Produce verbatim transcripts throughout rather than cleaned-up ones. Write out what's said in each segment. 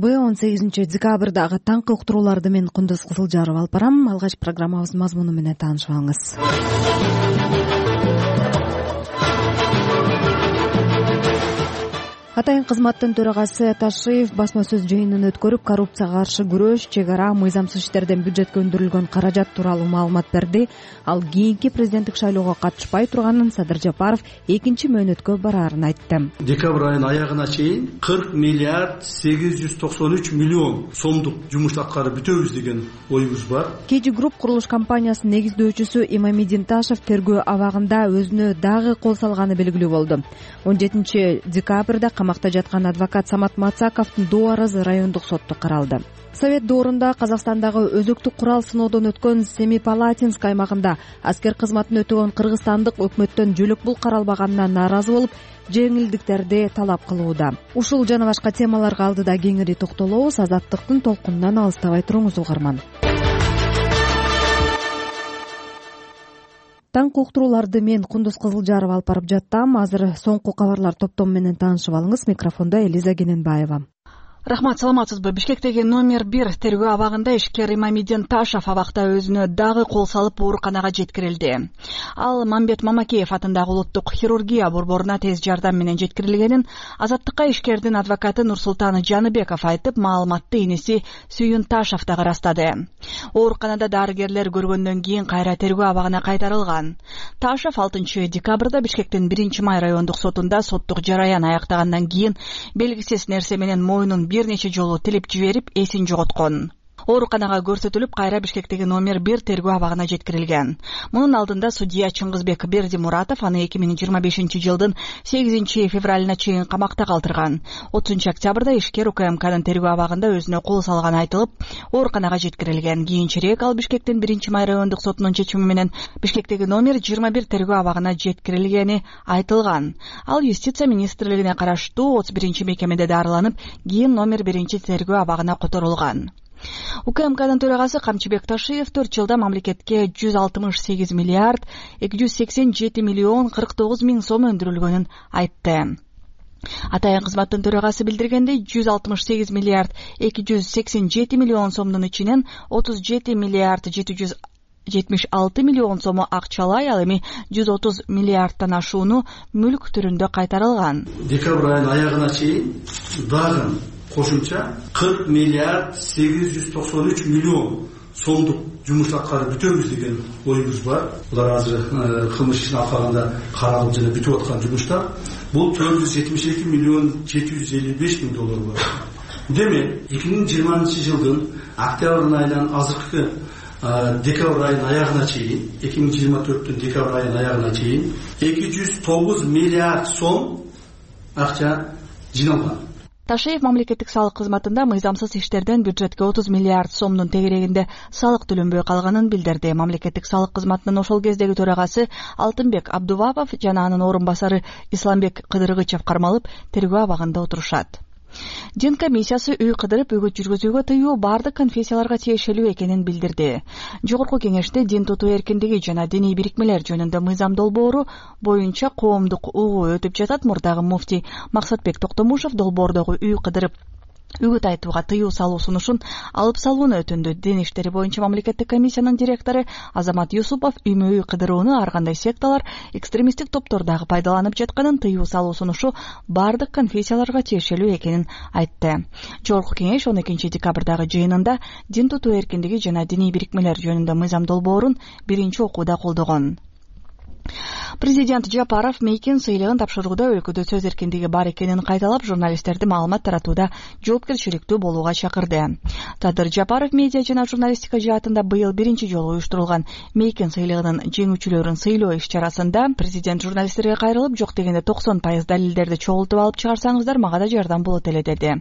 он сегизинчи декабрдагы таңкы уктурууларды мен Кундуз Кызылжаров алып барам. Алгач программабыздын мазмуну менен таанышып алыңыз. Атайын кызматтын төрагасы Ташиев басма сөз жыйынын өткөрүп, коррупцияга каршы күрөш, чек ара, мыйзамсыз иштерден бюджетке өндүрүлгөн каражат тууралуу маалымат берди. Ал кийинки президенттик шайлоого катышпай турганын, Садыр Жапаров экинчи мөөнөткө бараарын айтты. Декабрь айынын аягына чейин кырк миллиард сегиз жүз токсон үч миллион сомдук жумуш аткарып бүтөбүз деген оюбуз бар. Кежи групп курулуш компаниясынын негиздөөчүсү Имамидин Ташев тергөө абагында өзүнө дагы кол салганы белгилүү болду. он жетинчи декабрда камакта жаткан адвокат Самат Мацаковдун доо арызы райондук сотто каралды. Совет доорунда Казакстандагы өзөктүк курал сыноодон өткөн Семипалатинск аймагында аскер кызматын өтөгөн кыргызстандык өкмөттөн жөлөк бул каралбаганына нааразы болуп, жеңилдиктерди талап кылууда. Ушул жана башка темаларга алдыда кеңири токтолобуз. Азаттыктын толкунунан алыстабай туруңуз угарман. Таңкы уктурууларды мен Кундуз Кызылжаров алып барып жаттам. Азыр соңку кабарлар топтому менен таанышып алыңыз. Микрофондо Элиза Кененбаева. Рахмат, саламатсызбы? Бишкектеги номер бир тергөө абагында ишкер Имамидин Ташев абакта өзүнө дагы кол салып ооруканага жеткирилди. Ал Мамбет Мамакеев атындагы улуттук хирургия борборуна тез жардам менен жеткирилгенин Азаттыкка ишкердин адвокаты Нурсултан Жаныбеков айтып, маалыматты иниси Сүйүн Ташев дагы ырастады. Ооруканада дарыгерлер көргөндөн кийин кайра тергөө абагына кайтарылган. Ташев алтынчы декабрда Бишкектин биринчи май райондук сотунда соттук жараян аяктагандан кийин белгисиз нерсе менен мойнун бир нече жолу тилип жиберип, эсин жоготкон. Ооруканага көрсөтүлүп, кайра Бишкектеги номер бир тергөө абагына жеткирилген. Мунун алдында судья Чыңгызбек Бердимуратов аны эки миң жыйырма бешинчи жылдын сегизинчи февралына чейин камакта калтырган. отузунчу октябрда ишкер УКМКнын тергөө абагында өзүнө кол салганы айтылып, ооруканага жеткирилген. Кийинчерээк ал Бишкектин биринчи май райондук сотунун чечими менен Бишкектеги номер жыйырма бир тергөө абагына жеткирилгени айтылган. Ал юстиция министрлигине караштуу отуз биринчи мекемеде дарыланып, кийин номер биринчи тергөө абагына которулган. УКМКнын төрагасы Камчыбек Ташиев төрт жылда мамлекетке жүз алтымыш сегиз миллиард эки жүз сексен жети миллион кырк тогуз миң сом өндүрүлгөнүн айтты. Атайын кызматтын төрагасы билдиргендей, жүз алтымыш сегиз миллиард эки жүз сексен жети миллион сомдун ичинен отуз жети миллиард жети жүз жетимиш алты миллион сому акчалай, ал эми жүз отуз миллиардтан ашууну мүлк түрүндө кайтарылган. Декабрь айынын аягына чейин дагы кошумча кырк миллиард сегиз жүз токсон үч миллион сомдук жумуш аткарып бүтөбүз деген оюбуз бар. Булар азыр кылмыш ишин алкаганда каралып жана бүтүп аткан жумуштар. Бул төрт жүз жетимиш эки миллион жети жүз элүү беш миң доллар бар. Демек, эки миң жыйырманчы жылдын октябрь айынан азыркы декабрь айынын аягына чейин, эки миң жыйырма төрттүн декабрь айынын аягына чейин эки жүз тогуз миллиард сом акча жиналган. Ташиев мамлекеттик салык кызматында мыйзамсыз иштерден бюджетке отуз миллиард сомдун тегерегинде салык төлөнбөй калганын билдирди. Мамлекеттик салык кызматынын ошол кездеги төрагасы Алтынбек Абдувапов жана анын орун басары Исламбек Кыдыргычев кармалып, тергөө абагында отурушат. Дин комиссиясы үй кыдырып үгүт жүргүзүүгө тыюу бардык конфессияларга тиешелүү экенин билдирди. Жогорку кеңеште дин тутуу эркиндиги жана диний бирикмелер жөнүндө мыйзам долбоору боюнча коомдук угуу өтүп жатат. Мурдагы муфтий Максатбек Токтомушев долбоордогу үй кыдырып үгүт айтууга тыюу салуу сунушун алып салууну өтүндү. Дин иштери боюнча мамлекеттик комиссиянын директору Азамат Юсупов үймө үй кыдырууну ар кандай секталар, экстремисттик топтор дагы пайдаланып жатканын, тыюу салуу сунушу бардык конфессияларга тиешелүү экенин айтты. Жогорку кеңеш он экинчи декабрдагы жыйынында дин тутуу эркиндиги жана диний бирикмелер жөнүндө мыйзам долбоорун биринчи окууда колдогон. Президент Жапаров Мейкин сыйлыгын тапшырууда өлкөдө сөз эркиндиги бар экенин кайталап, журналисттерди маалымат таратууда жоопкерчиликтүү болууга чакырды. Садыр Жапаров медиа жана журналистика жаатында быйыл биринчи жолу уюштурулган Мейкин сыйлыгынын жеңүүчүлөрүн сыйлоо иш-чарасында президент журналисттерге кайрылып, жок дегенде токсон пайыз далилдерди чогултуп алып чыгарсаңыздар, мага да жардам болот эле деди.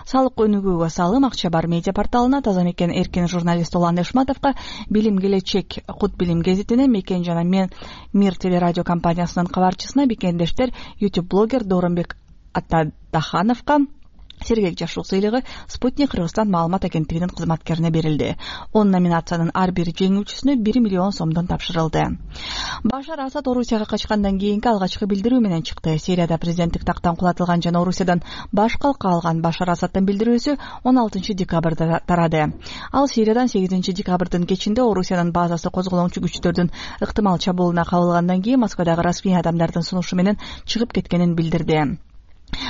Салык өнүгүүгө салым акча бар медиа порталына, Таза Мекен эркин журналист Улан Эшматовго, Билим келечек Кут Билим гезитине, Мекен жана мен Мир телерадио компаниясынын кабарчысына, бекендештер YouTube блогер Дооронбек Атадахановго, Сергек жашоо сыйлыгы Спутник Кыргызстан маалымат агенттигинин кызматкерине берилди. он номинациянын ар бир жеңүүчүсүнө бир миллион сомдон тапшырылды. Башар Асад Орусияга качкандан кийинки алгачкы билдирүү менен чыкты. Сирияда президенттик тактан кулатылган жана Орусиядан баш калка алган Башар Асадтын билдирүүсү он алтынчы декабрда тарады. Ал Сириядан сегизинчи декабрдын кечинде Орусиянын базасы козголоңчу күчтөрдүн ыктымал чабуулуна кабылгандан кийин Москвадагы расмий адамдардын сунушу менен чыгып кеткенин билдирди.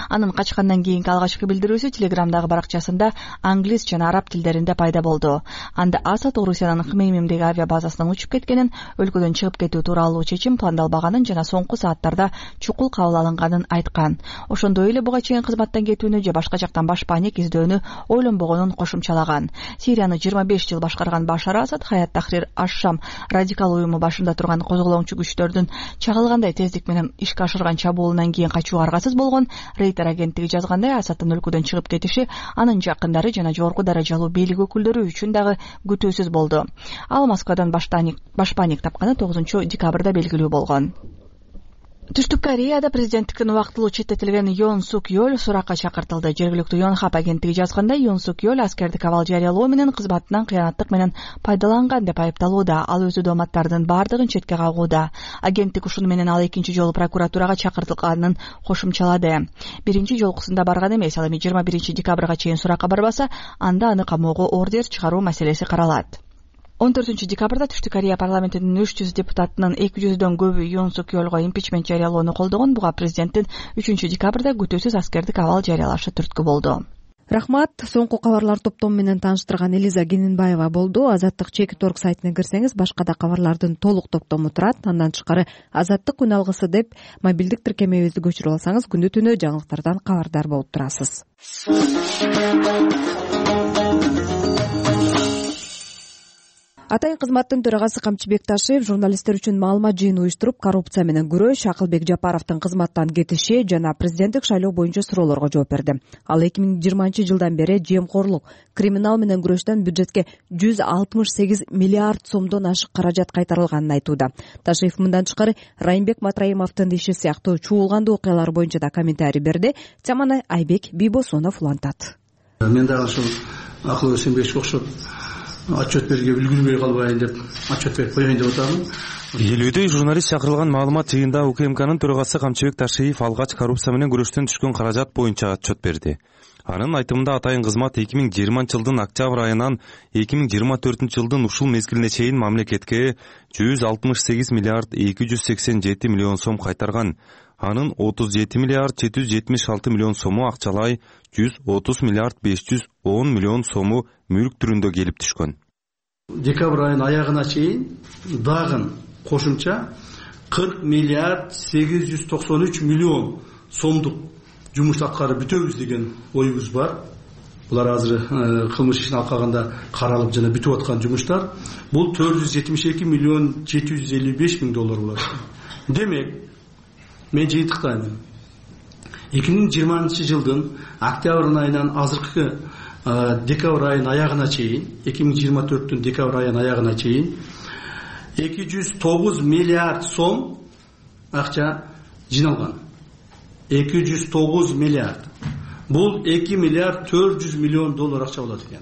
Анын качкандан кийинки алгачкы билдирүүсү Телеграмдагы баракчасында англис жана араб тилдеринде пайда болду. Анда Асад Орусиянын Хмеймимдеги авиа базасынан учуп кеткенин, өлкөдөн чыгып кетүү тууралуу чечим пландалбаганын жана соңку сааттарда чукул кабыл алынганын айткан. Ошондой эле буга чейин кызматтан кетүүнү же башка жактан баш паник издөөнү ойлонбогонун кошумчалаган. Сирияны жыйырма беш жыл башкарган Башар Асад Хаят Тахрир аш-Шам радикал уюму башында турган козголоңчу күчтөрдүн чагылгандай тездик менен ишке ашырган чабуулунан кийин качууга аргасыз болгон. Рейтер агенттиги жазгандай, Асадтын өлкөдөн чыгып кетиши анын жакындары жана жогорку даражалуу бийлик өкүлдөрү үчүн дагы күтүүсүз болду. Ал Москвадан баш паник тапканы тогузунчу декабрда белгилүү болгон. Түштүк Кореяда президенттиктен убактылуу четтетилген Йон Сук Йоль суракка чакыртылды. Жергиликтүү Йонхап агенттиги жазгандай, Йон Сук Йоль аскердик абал жарыялоо менен кызматынан кыянаттык менен пайдаланган деп айыпталууда. Ал өзү дооматтардын бардыгын четке кагууда. Агенттик ушуну менен ал экинчи жолу прокуратурага чакыртылганын кошумчалады. Биринчи жолкусунда барган эмес, ал эми жыйырма биринчи декабрга чейин суракка барбаса, анда аны камоого ордер чыгаруу маселеси каралат. он төртүнчү декабрда Түштүк Корея парламентинин үч жүз депутатынын эки жүздөн көбү Йон Сук Йолго импичмент жарыялоону колдогон. Буга президенттин үчүнчү декабрда күтүүсүз аскердик абал жарыялашы түрткү болду. Рахмат. Соңку кабарлар топтому менен тааныштырган Элиза Генинбаева болду. Азаттык чеки торг сайтына кирсеңиз, башка да кабарлардын толук топтому турат. Андан тышкары Азаттык күн алгысы деп мобилдик тиркемебизди көчүрүп алсаңыз, күнү түнү жаңылыктардан кабардар болуп турасыз. Атайын кызматтын төрагасы Камчыбек Ташиев журналисттер үчүн маалымат жыйыны уюштуруп, коррупция менен күрөш, Акылбек Жапаровдун кызматтан кетиши жана президенттик шайлоо боюнча суроолорго жооп берди. Ал эки миң жыйырманчы жылдан бери жемкорлук, криминал менен күрөштөн бюджетке жүз алтымыш сегиз миллиард сомдон ашык каражат кайтарылганын айтууда. Ташиев мындан тышкары Райымбек Матраимовдун иши сыяктуу чуулгандуу окуялар боюнча да комментарий берди. Теманы Айбек Бийбосунов улантат. Мен дагы ушул Акыл Өсөнбековго окшоп отчет берүүгө үлгүрбөй калбайын деп отчет берип коеюн деп атам. Элүүдө журналист чакырылган маалымат жыйында УКМКнын төрагасы Камчыбек Ташиев алгач коррупция менен күрөштөн түшкөн каражат боюнча отчет берди. Анын айтымында атайын кызмат эки миң жыйырманчы жылдын октябрь айынан эки миң жыйырма төртүнчү жылдын ушул мезгилине чейин мамлекетке жүз алтымыш сегиз миллиард эки жүз сексен жети миллион сом кайтарган. Анын отуз жети миллиард жети жүз жетимиш алты миллион сому акчалай, жүз отуз миллиард беш жүз он миллион сому мүлк түрүндө келип түшкөн. Декабрь айынын аягына чейин дагы кошумча кырк миллиард сегиз жүз токсон үч миллион сомдук жумуш аткарып бүтөбүз деген оюбуз бар. Булар азыр кылмыш ишин алкаганда каралып жана бүтүп аткан жумуштар. Бул төрт жүз жетимиш эки миллион жети жүз элүү беш миң доллар болот. Демек, мен жыйынтыктайм. эки миң жыйырманчы жылдын октябрь айынан азыркы декабрь айынын аягына чейин, эки миң жыйырма төрттүн декабрь айынын аягына чейин эки жүз тогуз миллиард сом акча жиналган. эки жүз тогуз миллиард. Бул эки миллиард төрт жүз миллион доллар акча болот экен.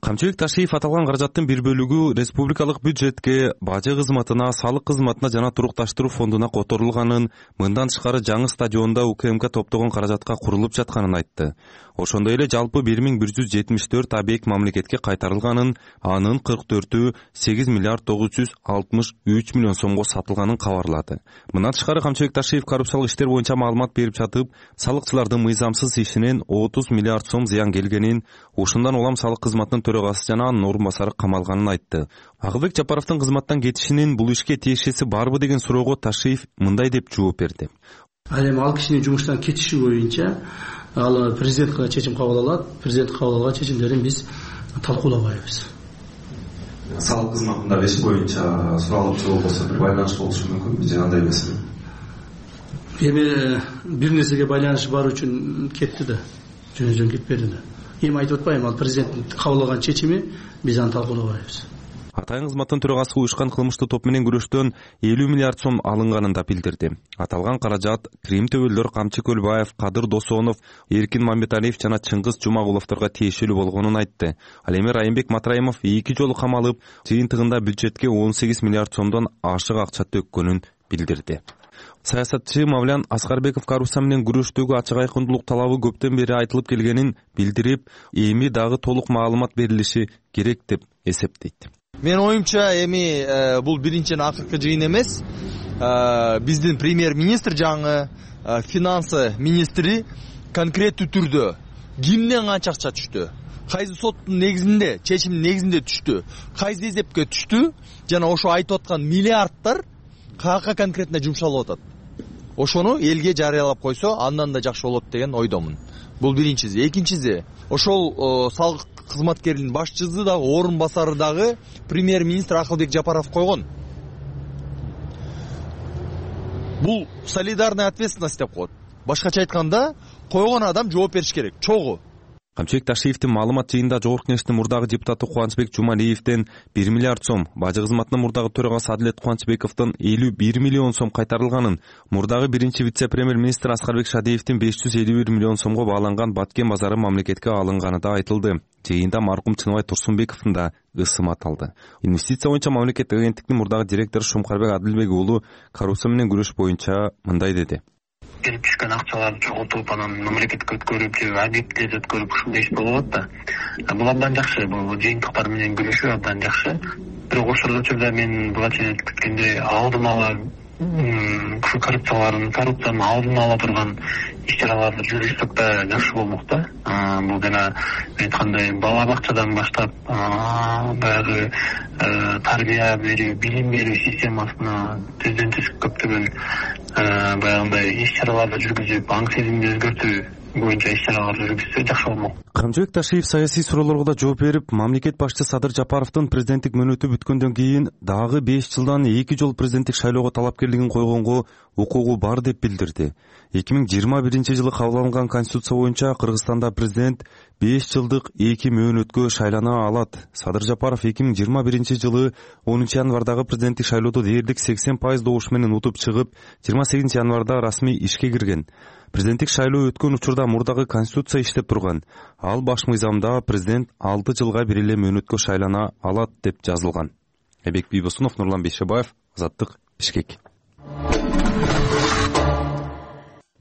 Камчыбек Ташиев аталган каражаттын бир бөлүгү республикалык бюджетке, бажы кызматына, салык кызматына жана турукташтыруу фондуна которулганын, мындан тышкары жаңы стадионда УКМК топтогон каражатка курулуп жатканын айтты. Ошондой эле жалпы бир миң бир жүз жетимиш төрт объект мамлекетке кайтарылганын, анын кырк төртү сегиз миллиард тогуз жүз алтымыш үч миллион сомго сатылганын кабарлады. Мындан тышкары Камчыбек Ташиев коррупциялык иштер боюнча маалымат берип жатып, салыкчылардын мыйзамсыз ишинен отуз миллиард сом зыян келгенин, ушундан улам салык кызматынын төрагасы жана анын орун басары камалганын айтты. Акылбек Жапаровдун кызматтан кетишинин бул ишке тиешеси барбы деген суроого Ташиев мындай деп жооп берди. Ал эми ал кишинин жумуштан кетиши боюнча ал президентке чечим кабыл алат. Президент кабыл алган чечимдерин биз талкуулабайбыз. Салык кызматында иш боюнча суралып чыгуу болсо бир байланыш болушу мүмкүнбү же андай эмеспи? Эми бир нерсеге байланыш бар үчүн кетти да, жөн-жөн кетпеди да. Эми айтып атпайм, ал президенттин кабыл алган чечими, биз аны талкуулабайбыз. Атайын кызматтын төрагасы уюшкан кылмыштуу топ менен күрөштөн элүү миллиард сом алынганын да билдирди. Аталган каражат Крим төбөлдөр Камчы Көлбаев, Кадыр Досонов, Эркин Мамбеталиев жана Чыңгыз Жумагуловторго тиешелүү болгонун айтты. Ал эми Райымбек Матраимов эки жолу камалып, жыйынтыгында бюджетке он сегиз миллиард сомдон ашык акча төккөнүн билдирди. Саясатчы Мавлян Аскарбеков коррупция менен күрөштөгү ачык айкындуулук талабы көптөн бери айтылып келгенин билдирип, эми дагы толук маалымат берилиши керек деп эсептейт. Менин оюмча эми бул биринчиден акыркы жыйын эмес. Биздин премьер-министр жаңы финансы министри конкреттүү түрдө кимден канча акча түштү, кайсы соттун негизинде, чечимдин негизинде түштү, кайсы эсепке түштү, жана ошо айтып аткан миллиардтар каяка конкретно жумшалып атат. Ошону элге жарыялап койсо, андан да жакшы болот деген ойдомун. Бул биринчиси. Экинчиси, ошол салык кызматкеринин башчысы дагы, орун басары дагы премьер-министр Акылбек Жапаров койгон. Бул солидарная ответственность деп коет. Башкача айтканда, койгон адам жооп бериш керек, чогуу. Камчыбек Ташиевдин маалымат жыйында Жогорку Кеңештин мурдагы депутаты Кубанычбек Жумалиевден бир миллиард сом, бажы кызматынын мурдагы төрагасы Адилет Кубанычбековдон элүү бир миллион сом кайтарылганын, мурдагы биринчи вице-премьер-министр Аскарбек Шадиевдин беш жүз элүү бир миллион сомго бааланган Баткен базары мамлекетке алынганы да айтылды. Жыйында маркум Чыныбай Турсунбековдун да ысым аталды. Инвестиция боюнча мамлекеттик агенттиктин мурдагы директору Шумкарбек Адилбек уулу коррупция менен күрөш боюнча мындай деди. Келип түшкөн акчаларды чогултуп, анан мамлекетке өткөрүп, же объектилерди өткөрүп ушундай иш болуп атат да. Бул абдан жакшы, бул жыйынтыктар менен күрөшүү абдан жакшы. Бирок ошол учурда мен буга чейин айтып кеткендей, алдын ала коррупциялардын, коррупциянын алдын ала турган иш-чараларды жүргүзсөк да жакшы болмок да. Бул жана айткандай бала бакчадан баштап баягы тарбия берүү, билим берүү системасына түздөн түз көптөгөн баягындай иш-чараларды жүргүзүп, аң сезимди өзгөртүү боюнча иш-чараларды жүргүзсө жакшы болмок. Камчыбек Ташиев саясий суроолорго да жооп берип, мамлекет башчысы Садыр Жапаровдун президенттик мөөнөтү бүткөндөн кийин дагы беш жылдан эки жол президенттик шайлоого талапкерлигин койгонго укугу бар деп билдирди. эки миң жыйырма биринчи жылы кабыл алынган конституция боюнча Кыргызстанда президент беш жылдык эки мөөнөткө шайлана алат. Садыр Жапаров эки миң жыйырма биринчи жылы онунчу январдагы президенттик шайлоодо дээрлик сексен пайыз добуш менен утуп чыгып, жыйырма сегизинчи январда расмий ишке кирген. Президенттик шайлоо өткөн учурда мурдагы конституция иштеп турган. Ал баш мыйзамда президент алты жылга бир эле мөөнөткө шайлана алат деп жазылган. Эбек Бийбосунов, Нурлан Бейшебаев, Азаттык, Бишкек.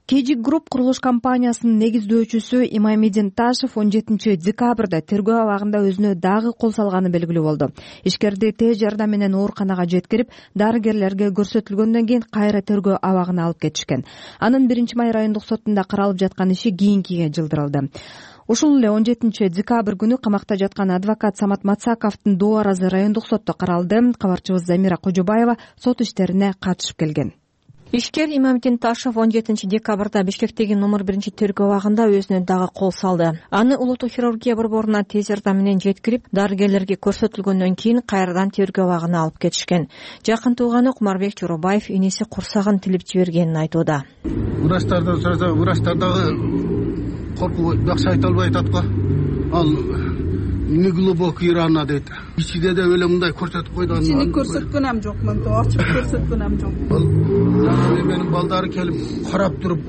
Кежик Групп курулуш компаниясынын негиздөөчүсү Имамидин Ташев он жетинчи декабрда тергөө абагында өзүнө дагы кол салганы белгилүү болду. Ишкерди тез жардам менен ооруканага жеткирип, дарыгерлерге көрсөтүлгөндөн кийин кайра тергөө абагына алып кетишкен. Анын биринчи май райондук сотунда каралып жаткан иши кийинкиге жылдырылды. Ушул эле он жетинчи декабрь күнү камакта жаткан адвокат Самат Мацаковдун доо аразы райондук сотто каралды. Кабарчыбыз Замира Кожобаева сот иштерине катышып келген. Ишкер Имамидин Ташев он жетинчи декабрда Бишкектеги номер биринчи тергөө абагында өзүнө дагы кол салды. Аны улуттук хирургия борборуна тез жардам менен жеткирип, дарыгерлерге көрсөтүлгөндөн кийин кайрадан тергөө абагына алып кетишкен. Жакын тууганы Кумарбек Жоробаев иниси курсагын тилип жибергенин айтууда. Врачтардан сураса, врачтар дагы коркуп жакшы айта албай атат го. Ал неглубокий рана дейт. Ичиде де эле мындай көрсөтүп койду. Ичини көрсөткөнөм жок, мен ачып көрсөткөнөм жок. Менин балдары келип карап туруп,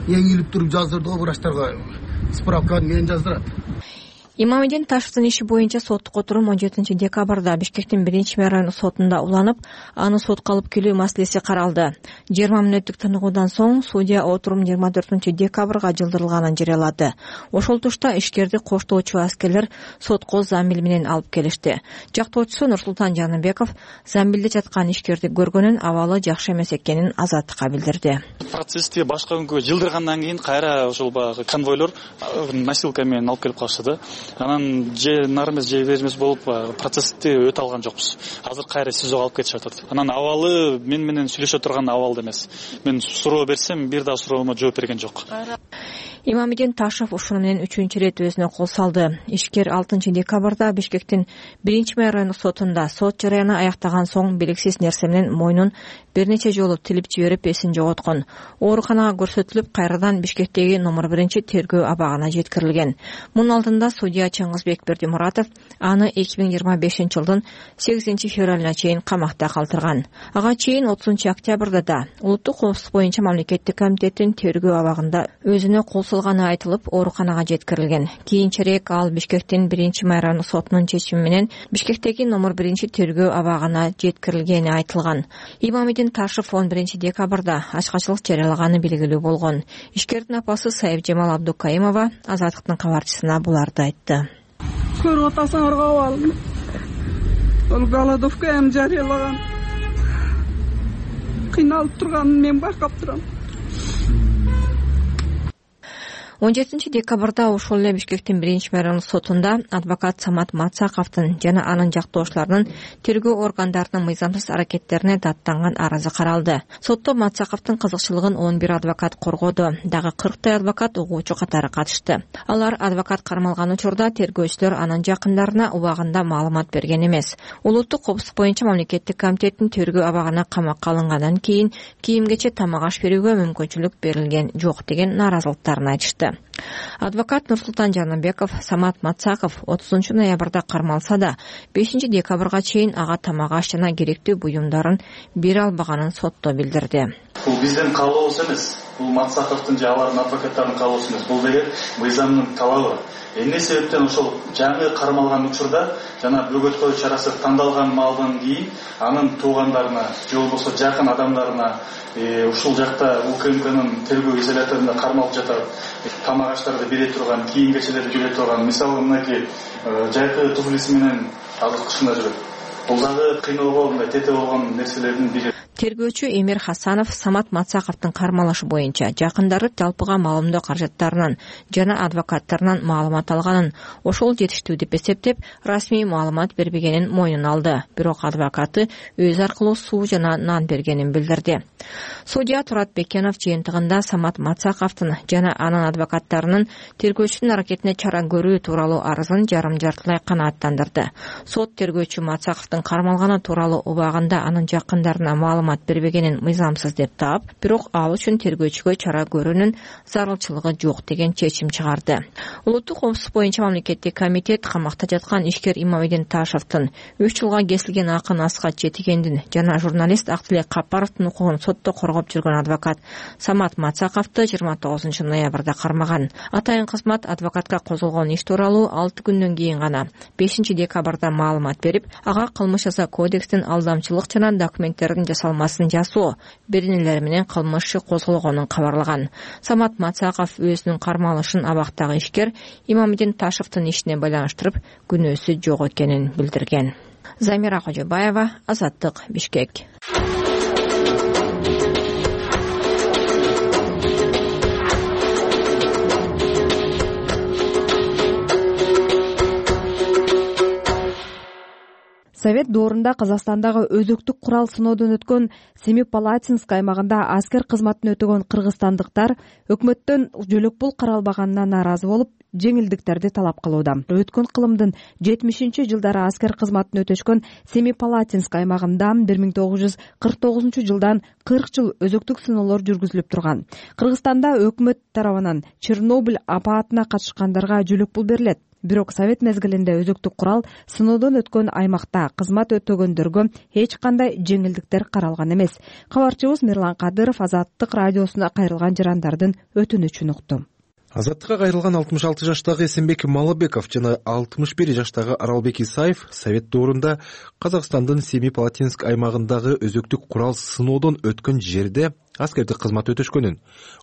эңилип туруп жаздырды го врачтарга. Справканы менен жаздырат. Имамидин Ташевдин иши боюнча соттук отурум он жетинчи декабрда Бишкектин биринчи райондук сотунда уланып, аны сотко алып келүү маселеси каралды. жыйырма мүнөттүк тыныгуудан соң судья отурум жыйырма төртүнчү декабрга жылдырылганын жарыялады. Ошол тушта ишкерди коштоочу аскерлер сотко замбил менен алып келишти. Жактоочусу Нурсултан Жаныбеков замбилде жаткан ишкерди көргөнүн, абалы жакшы эмес экенин Азаттыкка билдирди. Процессти башка күнгө жылдыргандан кийин кайра ошол баягы конвойлор носилка менен алып келип калышты. Анан же нар эмес же бер эмес болуп процессти өтө алган жокпуз. Азыр кайра СИЗОго алып кетишип атат. Анан абалы мен менен сүйлөшө турган абалда эмес. Мен суроо берсем, бир да суроомо жооп берген жок. Имамидин Ташев ушуну менен үчүнчү ирет өзүнө кол салды. Ишкер алтынчы декабрда Бишкектин биринчи райондук сотунда сот жарыяны аяктаган соң белгисиз нерсе менен мойнун бир нече жолу тилип жиберип эсин жоготкон. Ооруканага көрсөтүлүп, кайрадан Бишкектеги номер биринчи тергөө абагына жеткирилген. Мунун алдында судья Чыңгызбек Бердимуратов аны эки миң жыйырма бешинчи жылдын сегизинчи февралына чейин камакта калтырган. Ага чейин отузунчу октябрда да улуттук коопсуздук боюнча мамлекеттик комитеттин тергөө абагында өзүнө кол салганы айтылып, ооруканага жеткирилген. Кийинчерээк ал Бишкектин биринчи райондук сотунун чечими менен Бишкектеги номер биринчи тергөө абагына жеткирилгени айтылган. Имамидин Ташев он биринчи декабрда ачкачылык жарыялаганы белгилүү болгон. Ишкердин апасы Сайыпжамал Абдукайымова Азаттыктын кабарчысына буларды айтты. Көрүп атасыңар кабыл. Ол голодовка эми жарыялаган. Кыйналып турганын мен байкап турам. он жетинчи декабрда ошол эле Бишкектин биринчи райондук сотунда адвокат Самат Мацаковдун жана анын жактоошуларынын тергөө органдарынын мыйзамсыз аракеттерине даттанган арызы каралды. Сотто Мацаковдун кызыкчылыгын он бир адвокат коргоду. Дагы кырктай адвокат угуучу катары катышты. Алар адвокат кармалган учурда тергөөчүлөр анын жакындарына убагында маалымат берген эмес. Улуттук коопсуздук боюнча мамлекеттик комитеттин тергөө абагына камакка алынгандан кийин кийимгече тамак аш берүүгө мүмкүнчүлүк берилген жок деген нааразылыктарын айтышты. Адвокат Нурсултан Жаныбеков Самат Мацаков отузунчу ноябрда кармалса да бешинчи декабрга чейин ага тамак аш жана керектүү буюмдарын бере албаганын сотто билдирди. Бул биздин каалообуз эмес. Бул Мацаковдун же алардын адвокаттарынын каалоосу эмес. Бул деген мыйзамдын талабы. Эмне себептен ошол жаңы кармалган учурда жана бөгөткө чарасы тандалган маалдан кийин анын туугандарына же болбосо жакын адамдарына ушул жакта УКМКнын тергөө изоляторунда кармалып жатат тамак аштарды бере турган, кийим-кечелерди бере турган, мисалы мынакей жайкы туфлиси менен азыр кышында жүрөт. Бул дагы кыйноого, мындай тете болгон нерселердин бири. Тергөөчү Эмир Хасанов Самат Мацаковдун кармалышы боюнча жакындары жалпыга маалымдоо каражаттарынан жана адвокаттарынан маалымат алганын, ошол жетиштүү деп эсептеп, расмий маалымат бербегенин мойнуна алды. Бирок адвокаты өз аркылуу суу жана нан бергенин билдирди. Судья Турат Бекенов жыйынтыгында Самат Мацаковдун жана анын адвокаттарынын тергөөчүнүн аракетине чара көрүү тууралуу арызын жарым-жартылай канааттандырды. Сот тергөөчү Мацаковдун кармалганы тууралуу убагында анын жакындарына маалымат бербегенин мыйзамсыз деп таап, бирок ал үчүн тергөөчүгө чара көрүүнүн зарылчылыгы жок деген чечим чыгарды. Улуттук коопсуздук боюнча мамлекеттик комитет камакта жаткан ишкер Имамидин Ташевдин үч жылга кесилген акын Асхат Жетигендин жана журналист Актилек Капаровдун укугун сотто коргоп жүргөн адвокат Самат Мацаковду жыйырма тогузунчу ноябрда кармаган. Атайын кызмат адвокатка козголгон иш тууралуу алты күндөн кийин гана бешинчи декабрда маалымат берип, ага кылмыш жаза кодекстин алдамчылык жана документтердин жасалмасын жасоо беренелери менен кылмыш иши козголгонун кабарлаган. Самат Мацаков өзүнүн кармалышын абактагы ишкер Имамидин Ташевдин ишине байланыштырып, күнөөсү жок экенин билдирген. Замира Кожобаева, Азаттык, Бишкек. Совет доорунда Казакстандагы өзөктүк курал сыноодон өткөн Семипалатинск аймагында аскер кызматын өтөгөн кыргызстандыктар өкмөттөн жөлөк пул каралбаганына нааразы болуп, жеңилдиктерди талап кылууда. Өткөн кылымдын жетимишинчи жылдары аскер кызматын өтөшкөн Семипалатинск аймагында бир миң тогуз жүз кырк тогузунчу жылдан кырк жыл өзөктүк сыноолор жүргүзүлүп турган. Кыргызстанда өкмөт тарабынан Чернобыль апаатына катышкандарга жөлөк пул берилет. Бирок Совет мезгилинде өзөктүк курал сыноодон өткөн аймакта кызмат өтөгөндөргө эч кандай жеңилдиктер каралган эмес. Кабарчыбыз Мирлан Кадыров Азаттык радиосуна кайрылган жарандардын өтүнүчүн укту. Азаттыкка кайрылган алтымыш алты жаштагы Эсенбек Малыбеков жана алтымыш бир жаштагы Аралбек Исаев Совет доорунда Казакстандын Семипалатинск аймагындагы өзөктүк курал сыноодон өткөн жерде аскердик кызмат өтөшкөнүн,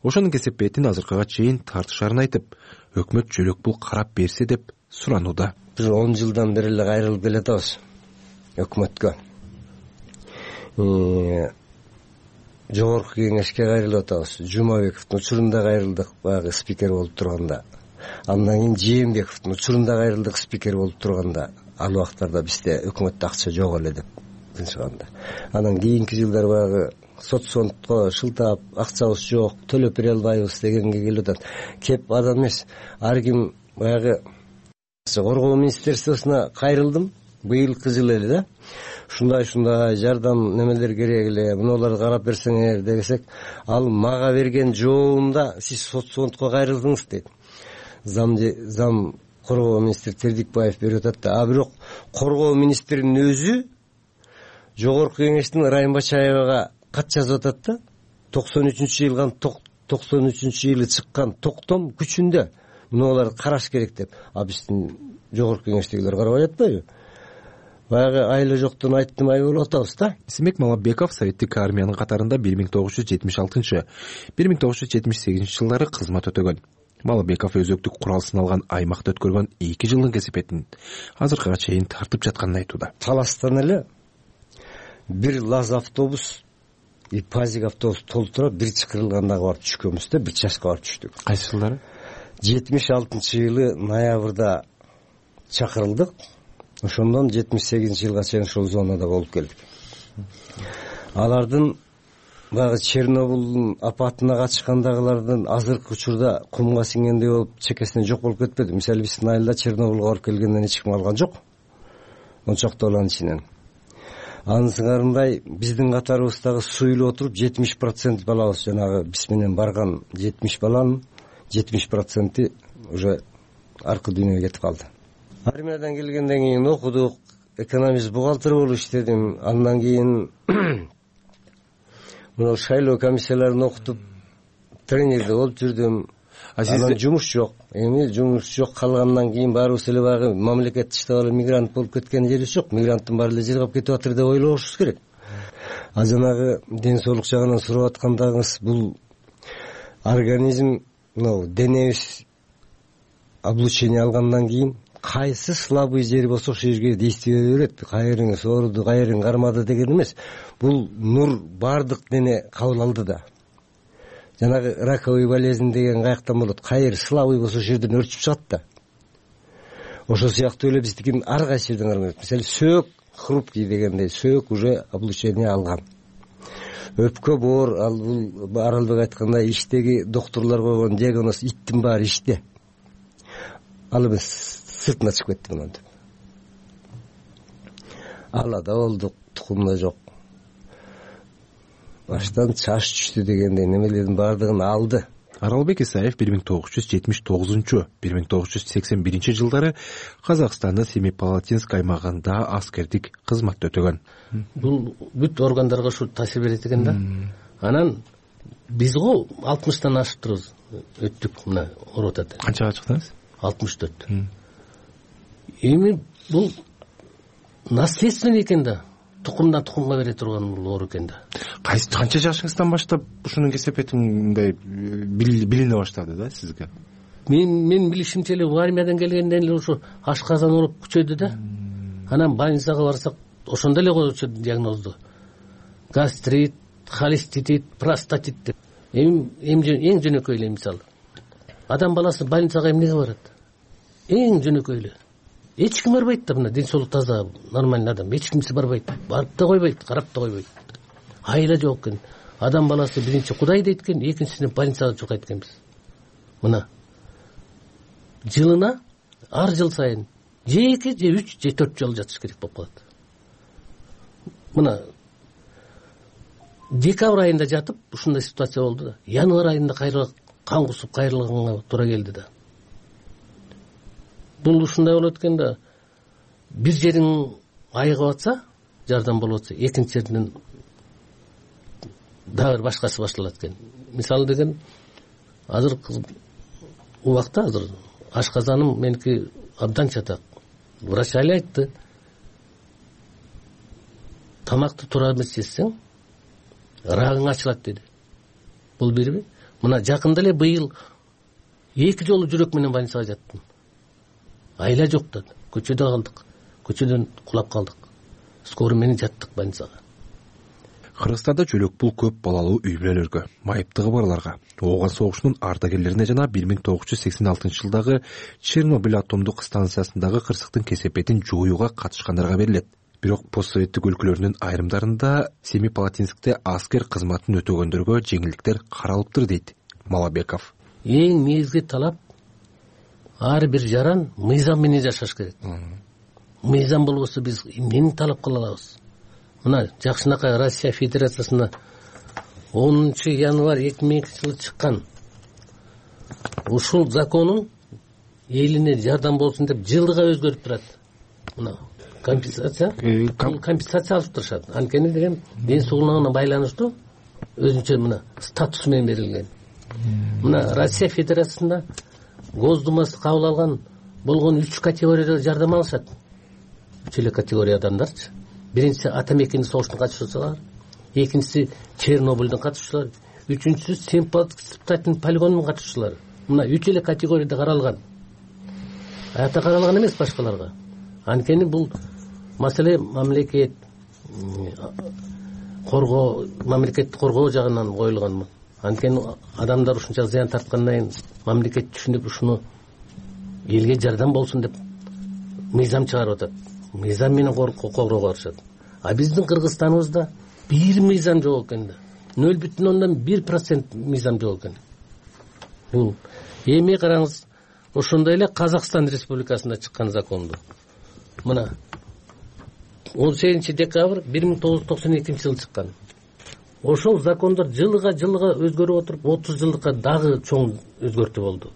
ошонун кесепетин азыркыга чейин тартышарын айтып, өкмөт жөлөк пул карап берсе деп суранууда. Бир он жылдан бери эле кайрылып келатабыз өкмөткө. Жогорку кеңешке кайрылып атабыз. Жумабековдун учурунда кайрылдык, баягы спикер болуп турганда. Андан кийин Жээнбековдун учурунда кайрылдык, спикер болуп турганда. Ал убактарда бизде өкмөттө акча жок эле деп чыганда. Анан кийинки жылдары баягы соцфондко шылтап акчабыз жок, төлөп бере албайбыз дегенге келип атат. Кеп адам эмес. Ар ким баягы коргоо министерствосуна кайрылдым быйылкы жылы эле да. Ушундай ушундай жардам немелер керек эле, мунуларды карап берсеңер десек, ал мага берген жообунда сиз соцфондко кайрылдыңыз дейт. Зам зам коргоо министри Тердикбаев берип атат да. А бирок коргоо министринин өзү жогорку кеңештин Райым Бачаевага кат жазып атат да. токсон үчүнчү жылган токсон үчүнчү жылы чыккан токтом күчүндө мунуларды караш керек деп. А биздин жогорку кеңештегилер карабай атпайбы? Баягы айла жоктон айттым ай болуп атабыз да. Эсенбек Малабеков советтик армиянын катарында бир миң тогуз жүз жетимиш алтынчы бир миң тогуз жүз жетимиш сегизинчи жылдары кызмат өтөгөн. Малабеков өзөктүк курал сыналган аймакта өткөргөн эки жылдын кесепетин азыркыга чейин тартып жатканын айтууда. Таластан эле бир ЛАЗ автобус и ПАЗик автобус толтура бир чакырылганда барып түшкөнбүз да, бир чашка барып түштүк. Кайсы жылдары? жетимиш алтынчы жылы ноябрда чакырылдык. Ошондон жетимиш сегизинчи жылга чейин ушул зонада болуп келдик. Алардын баягы Чернобылдын апатына катышкандагылардын азыркы учурда кумга сиңгендей болуп чекесинен жок болуп кетпеди. Мисалы биздин айылда Чернобылга барып келгенден эч ким алган жок. он чакты баланын ичинен. Анын сыңарындай биздин катарыбыздагы суюлуп отуруп жетимиш процент балабыз жанагы биз менен барган жетимиш баланын жетимиш проценти уже аркы дүйнөгө кетип калды. Армиядан келгенден кийин окудук, экономист бухгалтер болуп иштедим. Андан кийин мына шайлоо комиссияларын окутуп тренерде болуп жүрдүм. Анан жумуш жок. Эми жумуш жок калгандан кийин баарыбыз эле баягы мамлекет иштеп алып мигрант болуп кеткен жерибиз жок. Мигранттын баары эле жыргап кетип атыр деп ойлошубуз керек. А жанагы ден соолук жагынан сурап аткандагыңыз, бул организм, мына денебиз облучение алгандан кийин кайсы слабый жери болсо ошол жерге действие берет. Кайрыңыз ооруду, кайрың кармады деген эмес. Бул нур бардык дене кабыл алды да. Жанагы раковый болезнь деген каяктан болот? Кайыр слабый болсо ошол жерден өрчүп чыгат да. Ошол сыяктуу эле биздикин ар кайсы жерден кармайт. Мисалы сөөк хрупкий дегендей, сөөк уже облучение алган. Өпкө боор, ал бул Аралбек айткандай иштеги доктурлар койгон диагноз иттин баары иште. Ал эмес сыртына чыгып кетти мына деп. Алада болдук, тукумда жок. Баштан чаш түштү дегендей немелердин баардыгын алды. Аралбек Исаев бир миң тогуз жүз жетимиш тогузунчу — бир миң тогуз жүз сексен биринчи жылдары Казакстандын Семипалатинск аймагында аскердик кызматта өтөгөн. Бул бүт органдарга ушу таасир берет экен да. Анан биз го алтымыштан ашып турбуз. Өттүк мына ооруп атат. Канчага чыктыңыз? алтымыш төрт. Эми бул наследственный экен да. Тукумдан тукумга бере турган бул оору экен да. Кайсы канча жашыңыздан баштап ушунун кесепети мындай билине баштады да сизге? Мен мен билишимче эле армиядан келгенден эле ушу ашказан ооруп күчөдү да. Анан больницага барсак ошондо эле коюшчу диагнозду. Гастрит, холеститит, простатит деп. Эми эң жөнөкөй эле мисалы. Адам баласы больницага эмнеге барат? Эң жөнөкөй эле. Эч ким барбайт да, мына ден соолук таза, нормальный адам. Эч кимси барбайт. Барып да койбойт, карап да койбойт. Айла жок экен. Адам баласы биринчи Кудай дейт экен, экинчисинен больницага чукайт экенбиз. Мына жылына ар жыл сайын же эки, же үч, же төрт жолу жатыш керек болуп калат. Мына декабрь айында жатып ушундай ситуация болду да. Январь айында кайра кан кусуп кайрылганга туура келди да. Бул ушундай болот экен да. Бир жериң айыгып атса, жардам болуп атса, экинчи жерден дагы бир башкасы башталат экен. Мисалы деген азыр убакта азыр ашказаным меники абдан чатак. Врач али айтты. Тамакты туура эмес жесең, рагың ачылат деди. Бул бирби? Мына жакында эле быйыл эки жолу жүрөк менен больницага жаттым. Айла жок да. Көчөдө калдык. Көчөдөн кулап калдык. Скорый менен жаттык больницага. Кыргызстанда жөлөк бул көп балалуу үй бүлөлөргө, майыптыгы барларга, ооган согушунун ардагерлерине жана бир миң тогуз жүз сексен алтынчы жылдагы Чернобыль атомдук станциясындагы кырсыктын кесепетин жоюуга катышкандарга берилет. бирок постсоветтик өлкөлөрдүн айрымдарында Семипалатинскте аскер кызматын өтөгөндөргө жеңилдиктер каралыптыр дейт Малабеков. Эң негизги талап ар бир жаран мыйзам менен жашаш керек. Мыйзам болбосо биз эмнени талап кыла алабыз? Мына жакшынакай Россия Федерациясына онунчу январь эки миң экинчи жылы чыккан ушул законун элине жардам болсун деп жылдыга өзгөрүп турат. Мына компенсация компенсация алып турушат. Анткени деген ден соолугуна байланыштуу өзүнчө мына статусу менен берилген. Мына Россия Федерациясында Госдумасы кабыл алган болгон үч категорияда жардам алышат. Үч эле категория адамдарчы. Биринчиси Атамекенин согуштун катышуучулары, экинчиси Чернобыльдын катышуучулары, үчүнчүсү Семипалатинск полигонунун катышуучулары. Мына үч эле категорияда каралган. Ата каралган эмес башкаларга. Анткени бул маселе мамлекет коргоо, мамлекетти коргоо жагынан коюлган. Анткени адамдар ушунча зыян тарткандан кийин мамлекет түшүнүп ушуну элге жардам болсун деп мыйзам чыгарып атат. Мыйзам менен коргоого барышат. А биздин Кыргызстаныбызда бир мыйзам жок экен да. нөл бүтүн ондон бир процент мыйзам жок экен. Бул эми караңыз, ошондой эле Казакстан Республикасында чыккан законду. Мына он сегизинчи декабрь бир миң тогуз жүз токсон экинчи жылы чыккан. Ошол закондор жылга жылга өзгөрүп отуруп отуз жылдыкка дагы чоң өзгөртүү болду.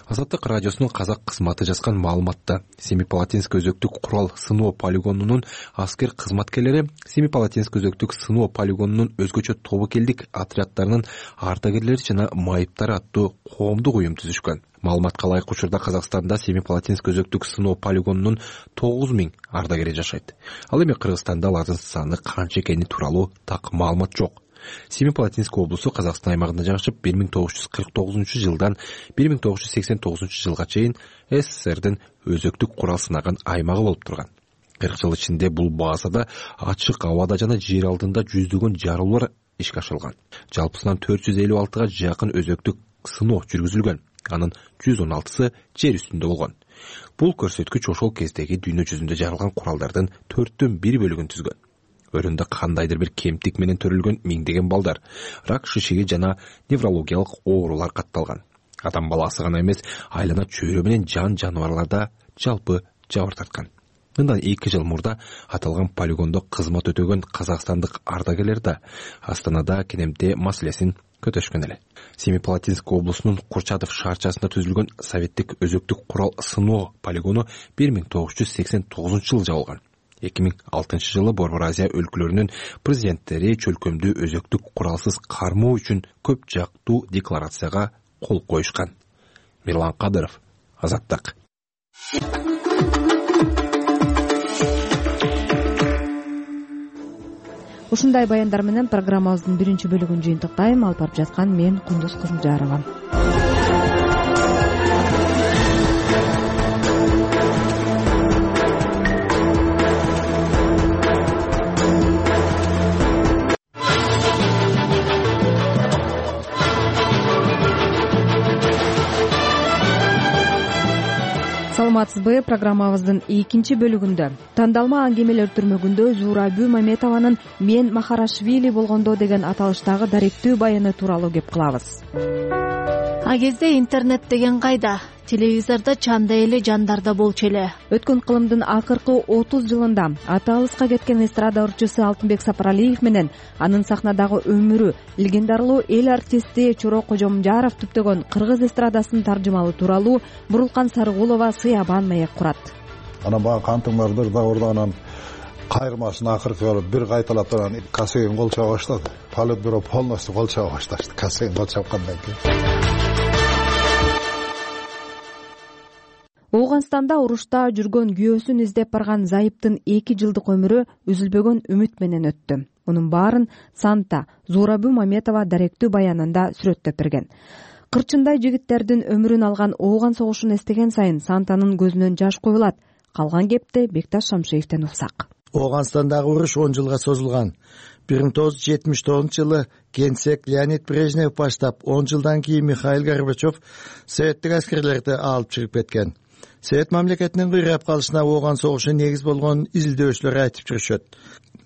Азаттык радиосунун казак кызматы жазган маалыматта Семипалатинск өзөктүк курал сыноо полигонунун аскер кызматкерлери Семипалатинск өзөктүк сыноо полигонунун өзгөчө тобокелдик отряддарынын ардагерлери жана майыптары аттуу коомдук уюм түзүшкөн. Маалыматка ылайык учурда Казакстанда Семипалатинск өзөктүк сыноо полигонунун тогуз миң ардагери жашайт. Ал эми Кыргызстанда алардын саны канча экени тууралуу так маалымат жок. Семипалатинск облусу Казакстан аймагында жашап бир миң тогуз жүз кырк тогузунчу жылдан бир миң тогуз жүз сексен тогузунчу жылга чейин СССРдин өзөктүк курал сынаган аймагы болуп турган. кырк жыл ичинде бул базада ачык абада жана жер алдында жүздөгөн жарылуулар ишке ашырылган. Жалпысынан төрт жүз элүү алтыга жакын өзөктүк сыноо жүргүзүлгөн. Анын жүз он алтысы жер үстүндө болгон. Бул көрсөткүч ошол кездеги дүйнө жүзүндө жарылган куралдардын төрттөн бир бөлүгүн түзгөн. Өрүндө кандайдыр бир кемтик менен төрөлгөн миңдеген балдар, рак шишеги жана неврологиялык оорулар катталган. Адам баласы гана эмес, айлана чөйрө менен жан жаныбарларда жалпы жабыр тарткан. Мындан эки жыл мурда аталган полигондо кызмат өтөгөн казакстандык ардагерлер да Астанада кенемте маселесин көтөшкөн эле. Семипалатинск облусунун Курчатов шаарчасында түзүлгөн советтик өзөктүк курал сыноо полигону бир миң тогуз жүз сексен тогузунчу жылы жабылган. эки миң алтынчы жылы Борбор Азия өлкөлөрүнүн президенттери чөлкөмдүү өзөктүк куралсыз кармоо үчүн көп жактуу декларацияга кол коюшкан. Мирлан Кадыров, Азаттык. Ушундай баяндар менен программабыздын биринчи бөлүгүн жыйынтыктайм. Алып барып жаткан мен Кундуз Кызылжарова. Саламатсызбы? Программабыздын экинчи бөлүгүндө тандалма аңгемелер түрмөгүндө Зурабү Маметованын «Мен Махарашвили болгондо» деген аталыштагы даректүү баяны тууралуу кеп кылабыз. А кезде интернет деген кайда? Телевизордо чанда эле жандарда болчу эле. Өткөн кылымдын акыркы отуз жылында аты алыска кеткен эстрада ырчысы Алтынбек Сапаралиев менен анын сахнадагы өмүрү, легендарлуу эл артисти Чоро Кожомжаров түптөгөн кыргыз эстрадасынын таржымалы тууралуу Бурулкан Сарыгулова сыябан маек курат. Анан бага кантыңдардыр да ордо анан кайрмасын акыркы бир кайталап анан касегин кол чаба баштады. Политбюро полностью кол чаба башташты. Касегин кол чапкандан кийин. Ооганстанда урушта жүргөн күйөөсүн издеп барган Зайыптын эки жылдык өмүрү үзүлбөгөн үмүт менен өттү. Мунун баарын Санта Зурабү Маметова даректүү баянында сүрөттөп берген. Кырчындай жигиттердин өмүрүн алган Ооган согушун эстеген сайын Сантанын көзүнөн жаш куюлат. Калган кепти Бекташ Шамшиевден уксак. Ооганстандагы уруш он жылга созулган. бир миң тогуз жүз жетимиш тогузунчу жылы генсек Леонид Брежнев баштап, он жылдан кийин Михаил Горбачев советтик аскерлерди алып чыгып кеткен. Совет мамлекетинин кыйрап калышына ооган согушу негиз болгонун изилдөөчүлөр айтып жүрүшөт.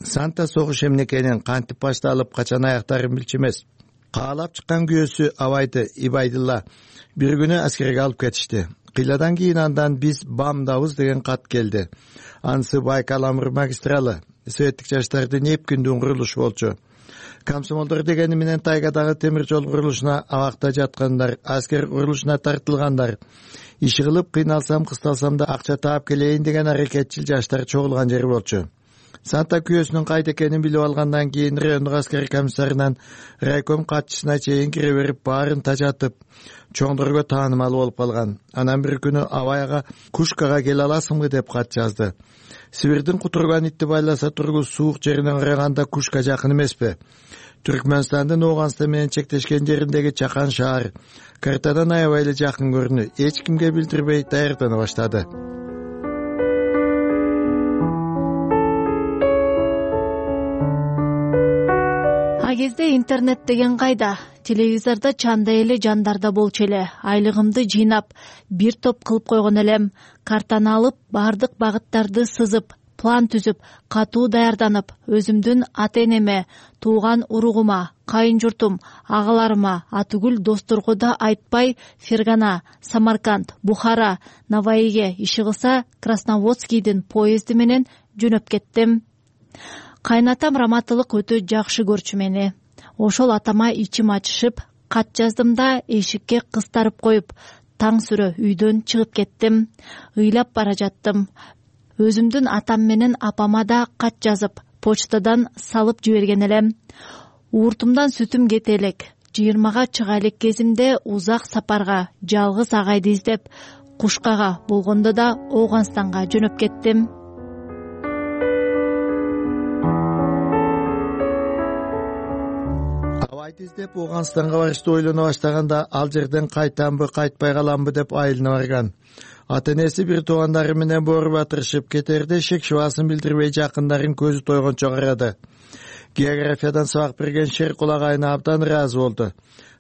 Санта согуш эмне экенин, кантип башталып, качан аяктарын билчү эмес. Каалап чыккан күйөөсү Абайды Ибайдылла бир күнү аскерге алып кетишти. Кыйладан кийин андан биз бамдабыз деген кат келди. Анысы Байкал-Амур магистралы, советтик жаштардын эпкиндүү курулушу болчу. Комсомолдор дегени менен тайгадагы темир жол курулушуна абакта жаткандар, аскер курулушуна тартылгандар, иши кылып кыйналсам кысталсам да акча таап келейин деген аракетчил жаштар чогулган жери болчу. Санта күйөөсүнүн кайда экенин билип алгандан кийин райондук аскер комиссарынан райком катчысына чейин кире берип баарын тажатып, чоңдорго таанымал болуп калган. Анан бир күнү Абайга Кушкага келе аласыңбы деп кат жазды. Сибирдин кутурган итти байласа тургу суук жеринен караганда Кушка жакын эмеспи? Түркмөнстандын Ооганстан менен чектешкен жериндеги чакан шаар картадан аябай эле жакын көрүнүп, эч кимге билдирбей даярдана баштады. А кезде интернет деген кайда? Телевизордо чандай эле жандар да болчу эле. Айлыгымды жыйнап, бир топ кылып койгон элем. Картаны алып, бардык багыттарды сызып, план түзүп, катуу даярданып, өзүмдүн ата-энеме, тууган уругума, кайын журтум, агаларыма, атүгүл досторго да айтпай Фергана, Самарканд, Бухара, Наваиге, иши кылса Красноводскийдин поезди менен жөнөп кеттим. Кайнатам раматылык өтө жакшы көрчү мени. Ошол атама ичим ачышып, кат жаздым да эшикке кыстарып коюп, таң сүрө үйдөн чыгып кеттим. Ыйлап бара жаттым. Өзүмдүн атам менен апама да кат жазып, почтадан салып жиберген элем. Ууртумдан сүтүм кете элек. жыйырмага чыга элек кезимде узак сапарга, жалгыз агайды издеп, Кушкага болгондо да Ооганстанга жөнөп кеттим. Абайды издеп Ооганстанга барышты ойлоно баштаганда ал жерден кайтамбы, кайтпай каламбы деп айылына барган. Ата-энеси бир туугандары менен боор батырышып кетерде шек шубасын билдирбей жакындарын көзү тойгончо карады. Географиядан сабак берген Шер кулагайына абдан ыраазы болду.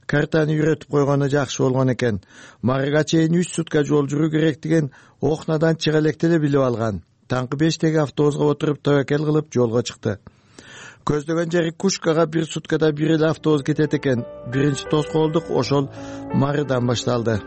Картаны үйрөтүп койгону жакшы болгон экен. Марыга чейин үч сутка жол жүрүү керектигин Охнадан чыга электе эле билип алган. Таңкы бештеги автобуска отуруп табакел кылып жолго чыкты. Көздөгөн жери Кушкага бир суткада бир эле автобус кетет экен. Биринчи тоскоолдук ошол Марыдан башталды.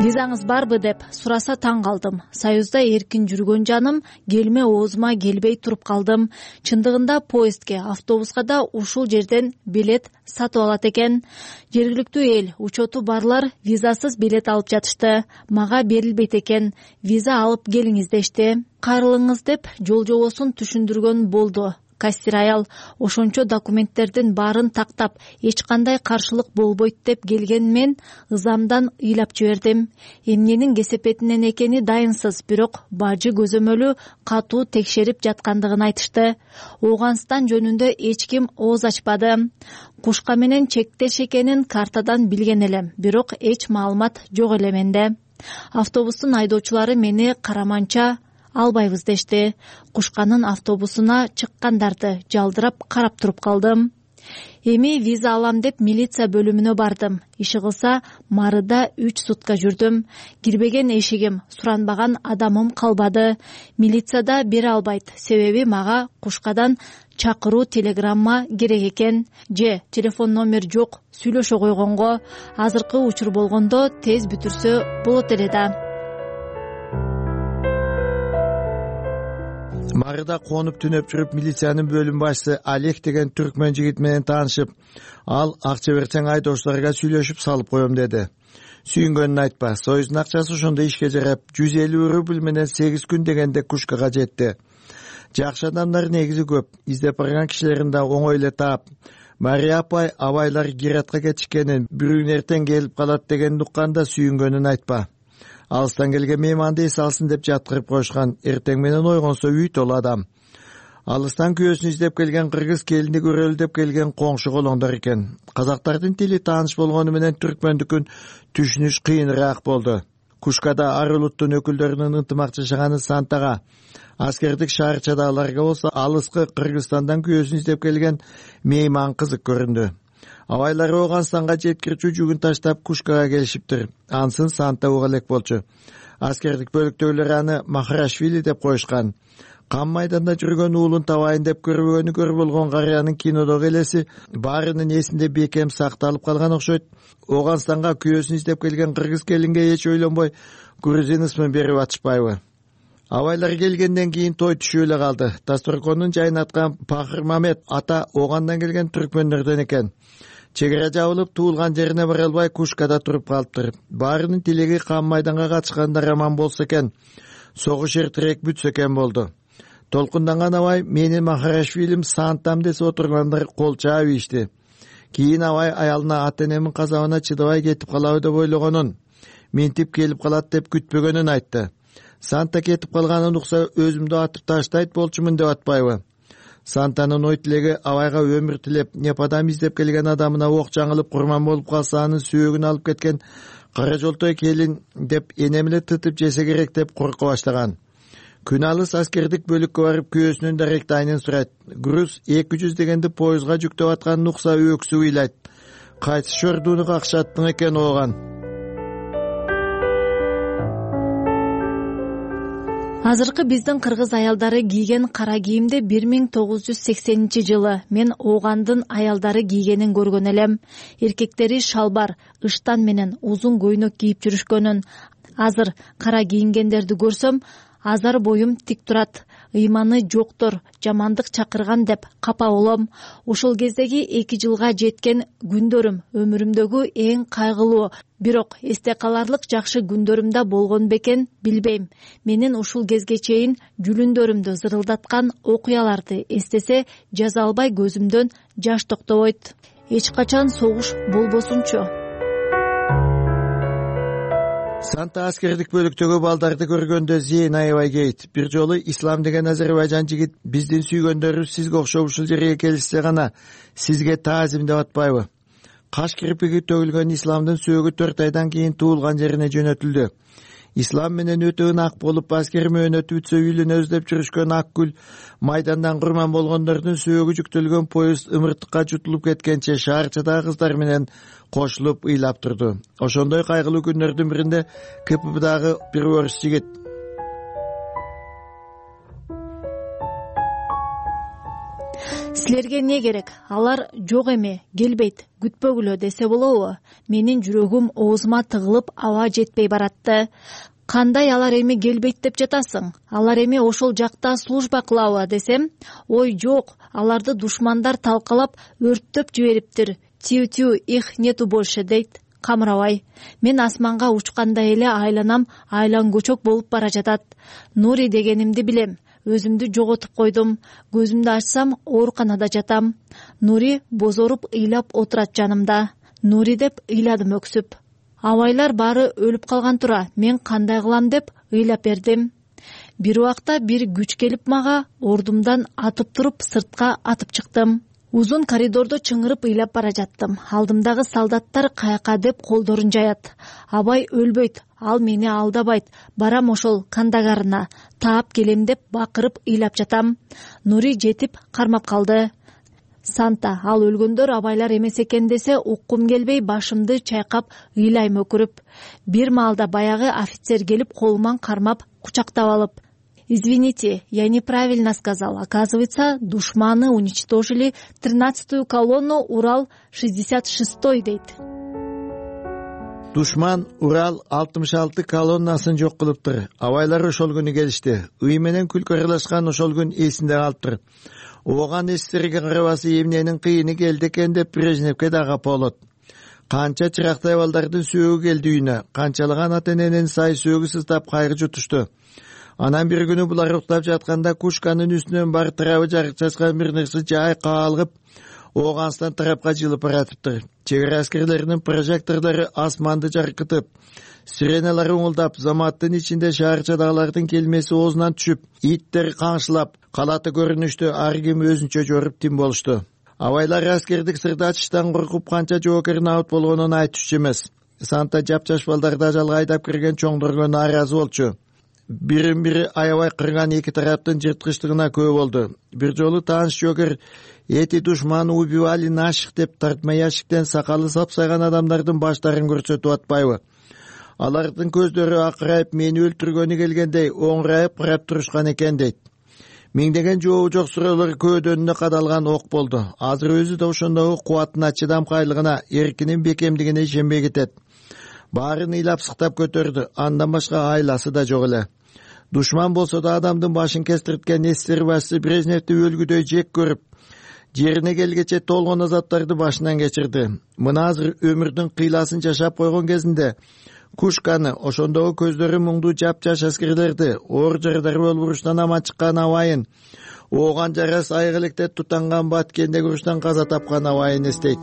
Визаңыз барбы деп сураса таң калдым. Союзда эркин жүргөн жаным келме оозума келбей туруп калдым. Чындыгында поездге, автобуска да ушул жерден билет сатып алат экен. Жергиликтүү эл, учету барлар визасыз билет алып жатышты. Мага берилбейт экен. Виза алып келиңиз дешти. Кайрылыңыз деп жол жобосун түшүндүргөн болду. Кассир аял ошончо документтердин баарын тактап, эч кандай каршылык болбойт деп келген мен ызамдан ыйлап жибердим. Эмненин кесепетинен экени дайынсыз, бирок бажы көзөмөлү катуу текшерип жаткандыгын айтышты. Ооганстан жөнүндө эч ким ооз ачпады. Кушка менен чектеш экенин картадан билген элем, бирок эч маалымат жок эле менде. Автобустун айдоочулары мени караманча албайбыз дешти. Кушканын автобусуна чыккандарды жалдырап карап туруп калдым. Эми виза алам деп милиция бөлүмүнө бардым. Иши кылса Марыда үч сутка жүрдүм. Кирбеген эшигим, суранбаган адамым калбады. Милицияда бере албайт, себеби мага Кушкадан чакыруу телеграмма керек экен. Же телефон номер жок, сүйлөшө койгонго. Азыркы учур болгондо тез бүтүрсө болот эле да. Марыда конуп түнөп жүрүп милициянын бөлүм башчысы Олег деген түркмөн жигит менен таанышып, ал акча берсең айдоочуларга сүйлөшүп салып коем деди. Сүйүнгөнүн айтпа, Союздун акчасы ошондо ишке жарап, жүз элүү рубль менен сегиз күн дегенде Кушкага жетти. Жакшы адамдар негизи көп, издеп барган кишилерин да оңой эле таап. Мария апай абайлар Гиратка кетишкенин, бирүүн эртең келип калат дегенди укканда сүйүнгөнүн айтпа. Алыстан келген мейманды эс алсын деп жаткырып коюшкан. Эртең менен ойгонсо үй толу адам. Алыстан күйөөсүн издеп келген кыргыз келинди көрөлү деп келген коңшу колоңдор экен. Казактардын тили тааныш болгону менен түркмөндүкүн түшүнүш кыйыныраак болду. Кушкада ар улуттун өкүлдөрүнүн ынтымак жашаганы Сантага, аскердик шаарчадагыларга болсо алыскы Кыргызстандан күйөөсүн издеп келген мейман кызык көрүндү. Абайлар Ооганстанга жеткирүүчү жүгүн таштап Кушкага келишиптир. Ансын Санта уга элек болчу. Аскердик бөлүктөгүлөр аны Махарашвили деп коюшкан. Кам майданда жүргөн уулун табайын деп көрбөгөнү көр болгон карыянын кинодогу элеси баарынын эсинде бекем сакталып калган окшойт. Ооганстанга күйөөсүн издеп келген кыргыз келинге эч ойлонбой грузин ысмын берип атышпайбы? Абайлар келгенден кийин той түшүп эле калды. Дасторконун жайнаткан Пахыр Мамет ата Оогандан келген түркмөндөрдөн экен. Чек ара жабылып, туулган жерине бара албай Кушкада туруп калыптыр. Баарынын тилеги кам майданга катышкандар аман болсо экен, согуш эртерээк бүтсө экен болду. Толкунданган абай менин Махарашвилим Сантам десе отургандар кол чаап ийишти. Кийин абай аялына ата-энемин казабына чыдабай кетип калабы деп ойлогонун, ментип келип калат деп күтпөгөнүн айтты. Санта кетип калганын укса өзүмдү атып таштайт болчумун деп атпайбы? Сантанын ой тилеги абайга өмүр тилеп, непадам издеп келген адамына ок жаңылып курман болуп калса анын сүйөгүн алып кеткен кара жолтой келин деп энем эле тытып жесе керек деп корко баштаган. Күн алыс аскердик бөлүккө барып күйөөсүнүн даректи айнын сурайт. Груз эки жүз дегенди поездга жүктөп атканын укса өксүп ыйлайт. Кайсы шордууну какшаттың экен ооган? Азыркы биздин кыргыз аялдары кийген кара кийимди бир миң тогуз жүз сексенинчи жылы мен Оогандын аялдары кийгенин көргөн элем. Эркектери шалбар, ыштан менен узун көйнөк кийип жүрүшкөнүн. Азыр кара кийингендерди көрсөм, азар боюм тик турат. Ыйманы жоктор жамандык чакырган деп капа болом. Ошол кездеги эки жылга жеткен күндөрүм өмүрүмдөгү эң кайгылуу, бирок эсте каларлык жакшы күндөрүмдө болгон бекен билбейм. Менин ушул кезге чейин жүлүндөрүмдү зырылдаткан окуяларды эстесе жаза албай көзүмдөн жаш токтобойт. Эч качан согуш болбосунчу. Санта аскердик бөлүктөгү балдарды көргөндө зейин аябай кейт. Бир жолу Ислам деген Азербайжан жигит биздин сүйгөндөрүбүз сизге окшоп ушул жерге келишсе гана сизге таазим деп атпайбы? Каш кирпиги төгүлгөн Исламдын сөөгү төрт айдан кийин туулган жерине жөнөтүлдү. Ислам менен өтө ынак болуп аскер мөөнөтү бүтсө үйлүнө өздөп жүрүшкөн Акгүл майдандан курман болгондордун сөөгү жүктөлгөн поезд ымыртыкка жутулуп кеткенче шаарчадагы кыздар менен кошулуп ыйлап турду. Ошондой кайгылуу күндөрдүн биринде КПБдагы бир орус жигит силерге не керек? Алар жок эме, келбейт, күтпөгүлө десе болобу? Менин жүрөгүм оозума тыгылып аба жетпей баратты. Кандай алар эми келбейт деп жатасың? Алар эми ошол жакта служба кылабы десем, ой жок, аларды душмандар талкалап өрттөп жибериптир. Тю-тю, их нету больше дейт. Камырабай. Мен асманга учкандай эле айланам, айлан көчөк болуп бара жатат. Нури дегенимди билем. Өзүмдү жоготуп койдум. Көзүмдү ачсам, ооруканада жатам. Нури бозоруп ыйлап отурат жанымда. Нури деп ыйладым өксүп. Абайлар баары өлүп калган тура. Мен кандай кылам деп ыйлап бердим. Бир убакта бир күч келип мага ордумдан атып туруп сыртка атып чыктым. Узун коридордо чыңырып ыйлап бара жаттым. Алдымдагы солдаттар каяка деп колдорун жаят. Абай өлбөйт, ал мени алдабайт. Барам ошол кандагарына. Таап келем деп бакырып ыйлап жатам. Нури жетип кармап калды. Санта, ал өлгөндөр абайлар эмес экен десе уккум келбей башымды чайкап ыйлайм өкүрүп. Бир маалда баягы офицер келип колуман кармап кучактап алып: «Извините, я неправильно сказал. Оказывается, душманы уничтожили тринадцатую колонну Урал шестьдесят шестой дейт». Душман Урал алтымыш алты колоннасын жок кылыптыр. Абайлар ошол күнү келишти. Үй менен күлкү аралашкан ошол күн эсинде калыптыр. Ооган эстерге карабасы эмненин кыйыны келди экен деп Брежневке дагы болот. Канча чырактай балдардын сөөгү келди үйүнө. Канчалаган ата-эненин сай сөөгү сыздап кайгы жутушту. Анан бир күнү булар уктап жатканда Кушканын үстүнөн бар тарабы жарык чачкан бир нерсе жай каалгып Ооганстан тарапка жылып баратыптыр. Чек ара аскерлеринин прожекторлору асманды жаркытып, сиреналар уңулдап, заматтын ичинде шаарчадагылардын келмеси оозунан түшүп, иттер каңшылап, калаты көрүнүштү ар ким өзүнчө жоруп тим болушту. Абайлар аскердик сырды ачыштан коркуп канча жоокер набыт болгонун айтышчу эмес. Санта жапжаш балдарды ажалга айдап кирген чоңдорго нааразы болчу. бирин бири аябай кырган эки тараптын жырткычтыгына күбө болду. Бир жолу тааныш жогер эти душманы убивали наших деп тартма яшиктен сакалы сапсайган адамдардын баштарын көрсөтүп атпайбы? Алардын көздөрү акырайып мени өлтүргөнү келгендей оңурайып карап турушкан экен дейт. Миңдеген жообу жок суроолор көөдөнүнө кадалган ок болду. Азыр өзү да ошондогу кубатына, чыдамкайлыгына, эркинин бекемдигине ишенбей кетет. Баарын ыйлап сыктап көтөрдү. Андан башка айласы да жок эле. Душман болсо да адамдын башын кестирткен эсер башчы Брежневди өлгүдөй жек көрүп, жерине келгече толгон азаптарды башынан кечирди. Мына азыр өмүрдүн кыйласын жашап койгон кезинде Кушканы, ошондогу көздөрү муңдуу жапжаш аскерлерди, оор жардар болуп уруштан аман чыккан абайын, ооган жарас айык электе тутанган Баткендеги уруштан каза тапкан абайын эстейт.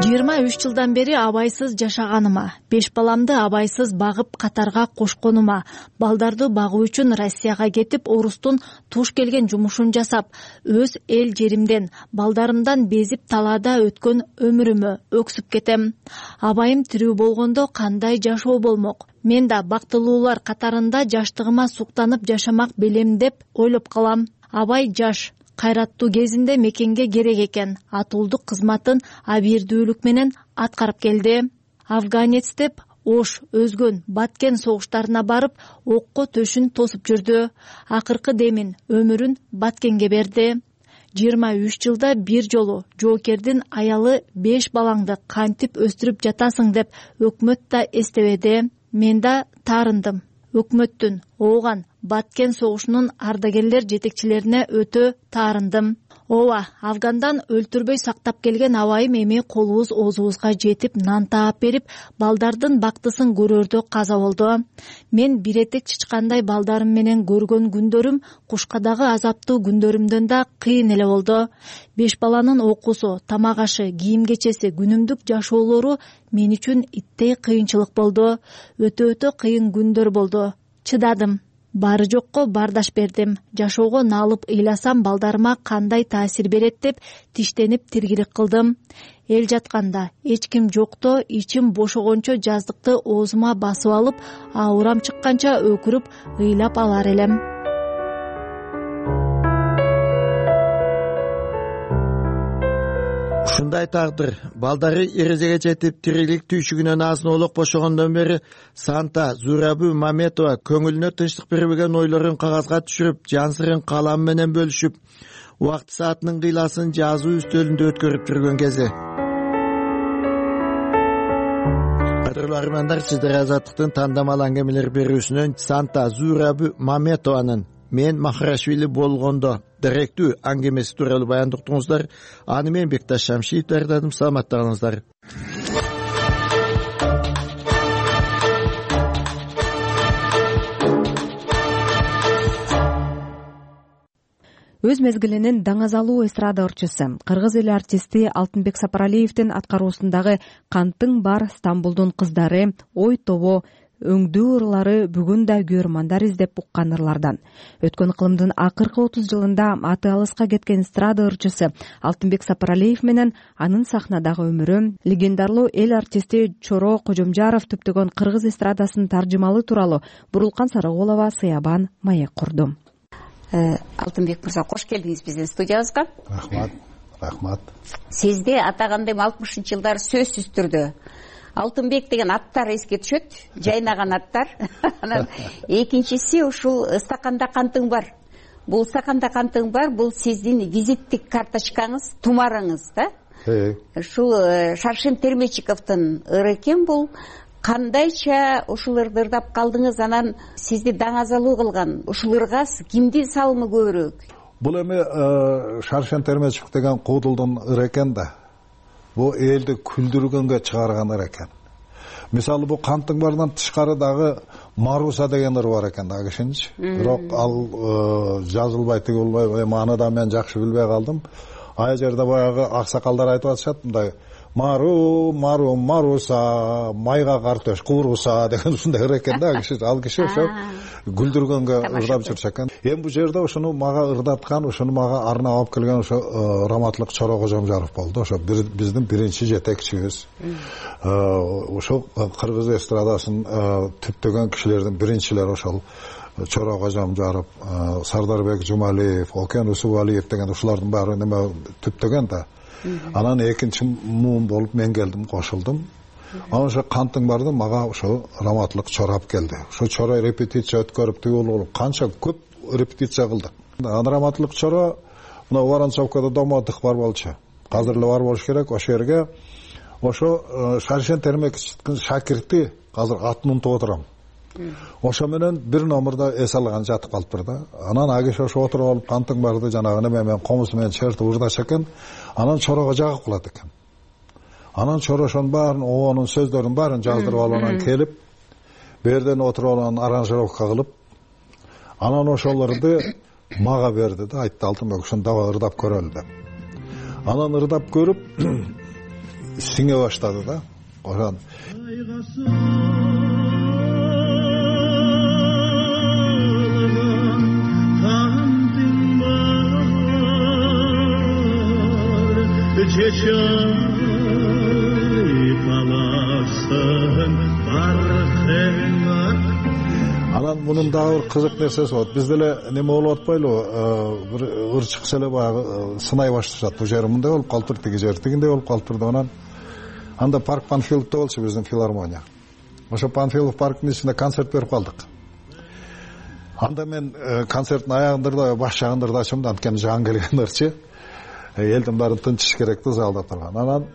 жыйырма үч жылдан бери абайсыз жашаганыма, беш баламды абайсыз багып катарга кошконума, балдарды багуу үчүн Россияга кетип, орустун туш келген жумушун жасап, өз эл жеримден, балдарымдан безип талаада өткөн өмүрүмө өксүп кетем. Абайым тирүү болгондо кандай жашоо болмок? Мен да бактылуулар катарында жаштыгыма суктанып жашамак белем деп ойлоп калам. Абай жаш, кайраттуу кезинде мекенге керек экен, атуулдук кызматын абийирдүүлүк менен аткарып келди. Афганец деп Ош, Өзгөн, Баткен согуштарына барып, окко төшүн тосуп жүрдү. Акыркы демин, өмүрүн Баткенге берди. жыйырма үч жылда бир жолу жоокердин аялы беш балаңды кантип өстүрүп жатасың деп өкмөт да эстебеди. Мен да таарындым. Өкмөттүн, ооган Баткен согушунун ардагерлер жетекчилерине өтө таарындым. Ооба, Афгандан өлтүрбөй сактап келген абайым эми колубуз оозубузга жетип нан таап берип, балдардын бактысын көрөрдө каза болду. Мен бир этек чычкандай балдарым менен көргөн күндөрүм Кушкадагы азаптуу күндөрүмдөн да кыйын эле болду. Беш баланын окуусу, тамак ашы, кийим кечеси, күнүмдүк жашоолору мен үчүн иттей кыйынчылык болду. Өтө-өтө кыйын күндөр болду. Чыдадым. Бары жокко бардаш бердим. Жашоого налып ыйласам балдарыма кандай таасир берет деп тиштенип тиргилик кылдым. Эл жатканда, эч ким жокто ичим бошогончо жаздыкты оозума басып алып, аурам чыкканча өкүрүп ыйлап алар элем. Ушундай тагдыр, балдары эрезеге жетип тирилик түйшүгүнөн азын-олук бошогондон бери Санта Зурабу Маметова көңүлүнө тынчтык бербеген ойлорун кагазга түшүрүп, жан сырын калам менен бөлүшүп, убакыт саатынын кыйласын жазуу үстөлүндө өткөрүп жүргөн кези. Кадырлуу армандар, сиздер Азаттыктын тандамал аңгемелер берүүсүнөн Санта Зурабу Маметованын «Мен Махарашвили болгондо» директүү аңгемеси тууралуу баяндыктыңыздар. Аны мен Бекташ Шамшиев даярдадым. Саламаттыгыңыздар. Өз мезгилинин даңазалуу эстрада ырчысы, кыргыз эли артисти Алтынбек Сапаралиевдин аткаруусундагы «Кантың бар Стамбулдун кыздары», «Ой тобо», өңдүү ырлары бүгүн да көрмандар издеп уккан ырлардан. Өткөн ыкылымдын акыркы отуз жылында аты алыска кеткен эстрада ырчысы Алтынбек Сапаралиев менен анын сахнадагы өмүрү, легендарлуу эл артисти Чоро Кожомжаров түптөгөн кыргыз эстрадасынын таржымалы тууралуу Бурулкан Сарыгулова сыябан маек курду. Алтынбек мырза, кош келдиңиз биздин студиябызга. Рахмат, рахмат. Сизди атагандайм алтымышынчы жылдары сөзсүз түрдө Алтынбек деген аттар эске түшөт, жайнаган аттар. Анан экинчиси ушул стаканда кантың бар. Бул стаканда кантың бар, бул сиздин визиттик карточкаңыз, тумарыңыз да? Ушул Шаршен Термечиковдун ыры экен бул. Кандайча ушул ырды ырдап калдыңыз, анан сизди даңазалуу кылган ушул ырга кимдин салымы көбүрөөк? Бул эми Шаршен Термечиков деген куудулдун ыры экен да. Бу элди күлдүргөнгө чыгарган ыр экен. Мисалы бу Кантың барынан тышкары дагы Маруса деген ыр бар экен да кишинчи. Бирок ал жазылбай тиги болбой, эми аны да мен жакшы билбей калдым. Ай жерде баягы аксакалдар айтып атышат, мындай мару мару маруса майга картош кууруса деген ушундай ыр экен да киши. Ал киши ошо күлдүргөнгө ырдап жүрчү экен. Эми бул жерде ошону мага ырдаткан, ошону мага арнап алып келген ошо Раматылык Чоро Кожомжаров болду. Ошо биздин биринчи жетекчибиз. Ошо кыргыз эстрадасын түптөгөн кишилердин биринчилери ошол Чоро Кожомжаров, Сардарбек Жумалиев, Окен Усубалиев деген ушулардын баары неме түптөгөн да. Анан экинчи муун болуп мен келдим, кошулдум. Анан ошо кантың барды мага ошо Раматылык Чоро алып келди. Ошо Чоро репетиция өткөрүп түйүлүп канча көп репетиция кылдык. Анан Раматылык Чоро мына Воронцовкада домоддук бар болчу. Азыр эле бар болуш керек. Ошо жерге ошо Шаршен Термекичтин шакирти азыр атын унутуп отурам. Ошо менен бир номерда эс алган жатып калыптыр да. Анан агиш ошо отуруп алып кантың барды жанагы неме менен комузу менен чертип ырдаша экен. Анан Чорого жагып калат экен. Анан Чоро ошонун баарын, оонун сөздөрүнүн баарын жаздырып алып анан келип, берден отуруп алып анан аранжировка кылып, анан ошолорду мага берди да, айтты Алтынбек ушуну дагы ырдап көрөлү деп. Анан ырдап көрүп сиңе баштады да. Ошон анан мунун дагы бир кызык нерсеси болот. Бизде эле неме болуп атпайлыбы, бир ыр чыкса эле баягы сынай башташат. Бул жери мындай болуп калыптыр, тиги жери тигиндей болуп калыптыр деп анан анда парк Панфиловдо болчу биздин филармония. Ошо Панфилов парктын ичинде концерт берип калдык. Анда мен концерттин аягында баш жагында ырдачым да, анткени жан келген ырчы. Элдин баары тынчыш керек да залда турган. Анан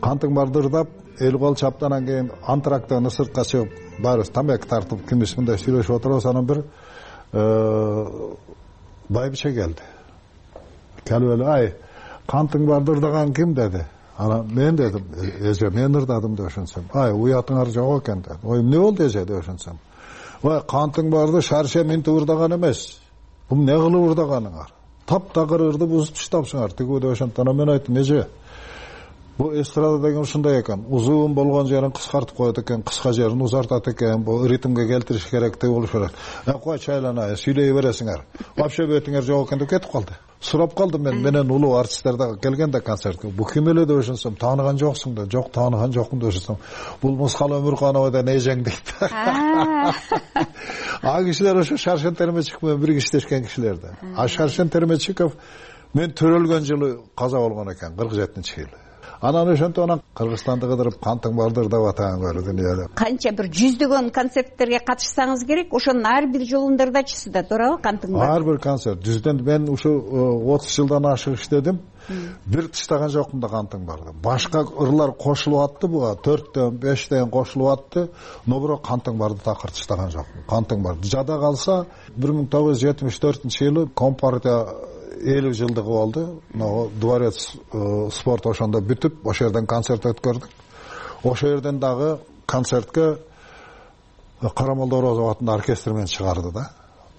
кантың барды ырдап, эл кол чаптанан кийин антрактан сыртка чыгып, баарыбыз тамак тартып, кимис мындай сүйлөшүп отурабыз. Анан бир байбиче келди. Келип эле, ай, кантың барды ырдаган ким деди. Анан мен дедим, эже мен ырдадым деп ошентсем. Ай, уятыңар жок экен деди. Ой, эмне болду эже деп ошентсем. Ой, кантың барды Шарше минтип ырдаган эмес. Бул эмне кылып ырдаганыңар? Таптагыр ырды бузуп таштапсыңар. Тиги деп ошентип анан мен айттым, эже, бул эстрада деген ушундай экен. Узун болгон жерин кыскартып коет экен, кыска жерин узартат экен. Бул ритмге келтириш керек деп болуш керек. Э, кой чайлана, сүйлөй бересиңер. Вообще бетиңер жок экен деп кетип калды. Сурап калдым мен, менен улуу артисттер да келгенде концертке. Бул ким эле деп ошентсем, тааныган жоксуң да. Жок, тааныган жокмун деп ошентсем. Бул Мускал Өмүрканова да эжең дейт. А кишилер ошо Шаршен Термечиков менен бир иштешкен кишилерди. А Шаршен Термечиков мен төрөлгөн жылы каза болгон экен, кырк жетинчи жылы. Анан ошентип анан Кыргызстанды кыдырып кантың барды ырдап атаң көрдү дүйнөдө. Канча бир жүздөгөн концерттерге катышсаңыз керек, ошонун ар бир жолунда ырдачысыз да, туурабы кантың барды? Ар бир концерт. Жүздөн мен ушу отуз жылдан ашык иштедим. Бир тыштаган жокмун да кантың барды. Башка ырлар кошулуп атты буга, төрттөн, бештен кошулуп атты, но бирок кантың барды такыр тыштаган жокмун. Кантың барды. Жада калса бир миң тогуз жүз жетимиш төртүнчү жылы Компартия элүү жылдыгы болду. Дворец спорт ошондо бүтүп, ошол жерден концерт өткөрдүк. Ошол жерден дагы концертке Карамолдо Орозов атында оркестр менен чыгарды да.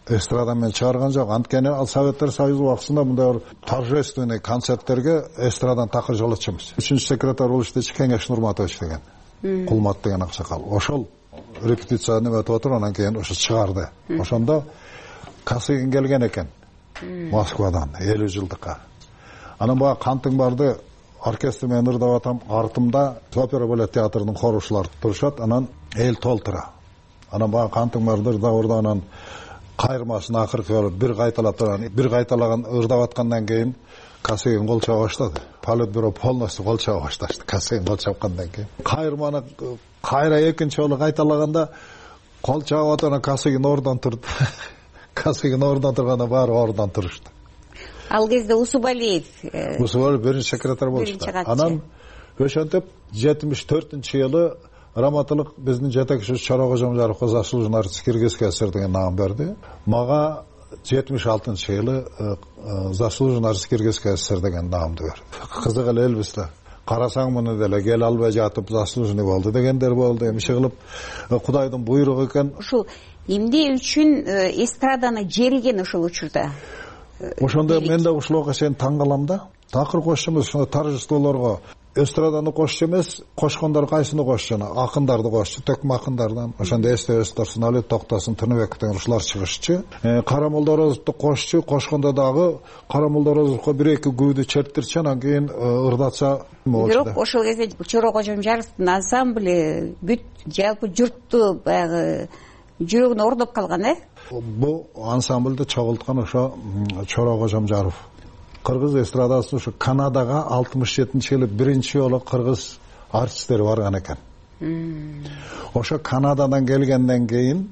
Эстрада менен чыгарган жок. Анткени ал Советтер Союзу убактысында мындай торжественный концерттерге эстрадан такыр жолотчумуз. Үчүнчү секретарь болуп иштечи Кеңеш Нурматович деген. Кулмат деген аксакал. Ошол репетиция неметип отуруп, анан кийин ошо чыгарды. Ошондо Касыгин келген экен. Москвадан элүү жылдыкка. Анан бага кантың барды оркестр менен ырдап атам, артымда опера балет театрынын хорушулары турушат, анан эл толтура. Анан бага кантың барды ырдап ырдап анан кайырмасын акыркы болуп бир кайталап турган, бир кайталаган ырдап аткандан кийин Касыгин кол чаба баштады. Политбюро полностью кол чаба башташты. Касыгин кол чапкандан кийин кайырманы кайра экинчи жолу кайталаганда кол чабып атып Касыгин ордон турду. Касыгин ордон турганда баары ордон турушту. Ал кезде Усубалиев Усубалиев биринчи секретарь болчу. Анан ошентип жетимиш төртүнчү жылы Раматылык биздин жетекчибиз Чоро Кожомжаровго заслуженный артист Киргизский СССР деген наам берди. Мага жетимиш алтынчы жылы заслуженный артист Киргизский СССР деген наамды берди. Кызык эле элбиз да. Карасаң муну деле кел албай жатып заслуженный болду дегендер болду. Эмне кылып Кудайдын буйругу экен. Ушул эмне үчүн эстраданы жериген ошол учурда? Ошондо мен да ушул окуя чейин таң калам да. Такыр кошчумуз ошондо торжестволорго эстраданы кошчу эмес, кошкондор кайсыны кошчу? Акындарды кошчу, төкмө акындардан. Ошондо эстебес турсун, Алет Токтосун, Тыныбек деген ушулар чыгышчу. Кара Молдорозовду кошчу, кошкондо дагы Кара Молдорозовго бир эки күүдү чертирчи, анан кийин ырдатса болчу. Бирок ошол кезде Чоро Кожомжаровдун ансамбль бүт жалпы журтту баягы жүрөгүнө орноп калган, э? Бул ансамбльди чогулткан ошо Чоро Кожомжаров. Кыргыз эстрадасына ушу Канадага алтымыш жетинчи жылы биринчи жолу кыргыз артисттери барган экен. Ошо Канададан келгенден кийин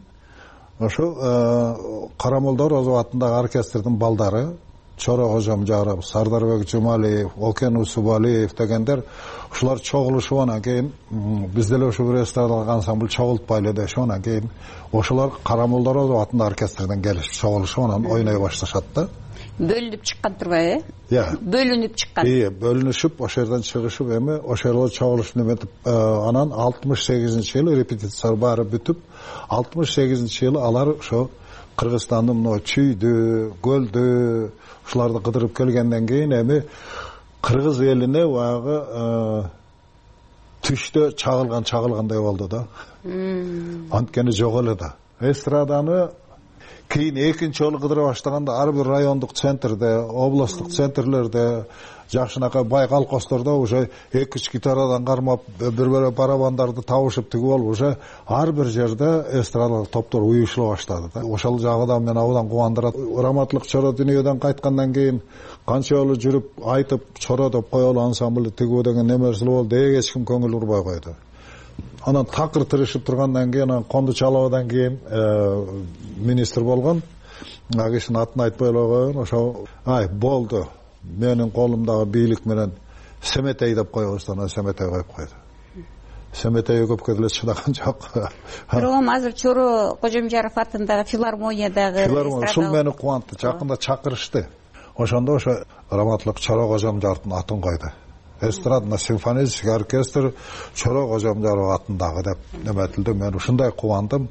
ошо Кара Молдорозов атындагы оркестрдин балдары Чоро Кожомжаров, Сардарбек Жумалиев, Окен Усубалиев дегендер ушулар чогулушуп анан кийин биз деле ошо бир эстрадалык ансамбль чогултпайлы дешип анан кийин ошолор Кара Молдорозов атындагы оркестрден келишип чогулушуп анан ойной башташат да. Бөлүнүп чыккан турбайбы, э? Иә. Бөлүнүп чыккан. Ии, бөлүнүшүп, ошол жерден чыгышып, эми ошол жерде чогулуш неметип, анан алтымыш сегизинчи жылы репетиция баары бүтүп, алтымыш сегизинчи жылы алар ошо Кыргызстандын мына Чүйдү, Көлдү, ушуларды кыдырып келгенден кийин эми кыргыз элине баягы түштө чагылган чагылгандай болду да. Анткени жок эле да. Эстраданы кийин экинчи жолу кыдыра баштаганда ар бир райондук центрде, областтык центрлерде, жакшынакай бай колхоздордо уже эки үч гитарадан кармап, бир-бири барабандарды табышып тигип алып, уже ар бир жерде эстрадалык топтор уюшула баштады да. Ошол жагы да мени абдан кубандырат. Раматлык Чоро дүйнөдөн кайткандан кийин канча жолу жүрүп айтып, Чоро деп коелу ансамбль тигүү деген немерси болду, эч ким көңүл бурбай койду. Анан такыр тырышып тургандан кийин, анан Конду Чалабадан кийин министр болгон, ал кишинин атын айтпай эле коеюн, ошо ай болду. Менин колумдагы бийлик менен Семетей деп коебуз, анан Семетей коюп койду. Семетей көпкө деле чыдаган жок. Бирок азыр Чоро Кожомжаров атындагы филармониядагы филармония ушул мени кубантты. Жакында чакырышты. Ошондо ошо Раматлык Чоро Кожомжаровдун атын койду. Эстрадный симфонический оркестр Чоро Кожомжаров атындагы деп неметилди. Мен ушундай кубандым.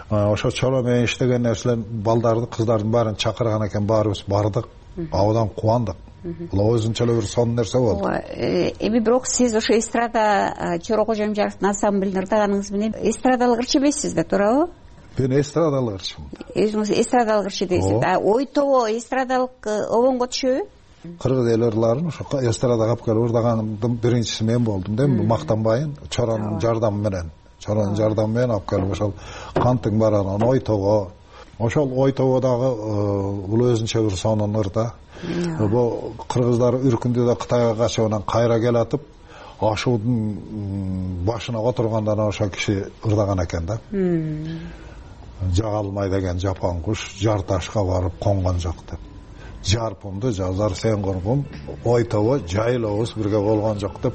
Ошо Чоро менен иштеген нерселер балдарды, кыздардын баарын чакырган экен, баарыбыз бардык. Абдан кубандык. Бул өзүнчө эле бир сонун нерсе болду. Эми бирок сиз ошо эстрада Чоро Кожомжаровдун ансамблин ырдаганыңыз менен эстрадалык ырчы эмессиз да, туурабы? Мен эстрадалык ырчымын. Өзүңүз эстрадалык ырчы дейсиз. А ой тобо эстрадалык обонго түшөбү? Кыргыз эл ырларын ошо эстрадага алып келип ырдаганымдын биринчиси мен болдум да, мактанбайын. Чоронун жардамы менен, Чоронун жардамы менен алып келип ошол Кантың баранан ой тобо. Ошол ой тободагы бул өзүнчө бир сонун ыр да. Бул кыргыздар үркүндүдө Кытайга качып анан кайра келатып, ашуудун башына отурганда ошо киши ырдаган экен да. Жагалмай деген жапон куш жар ташка барып конгон жок деп. Жарпымды жазар сен коргум, ой тобо жайлообуз бирге болгон жок деп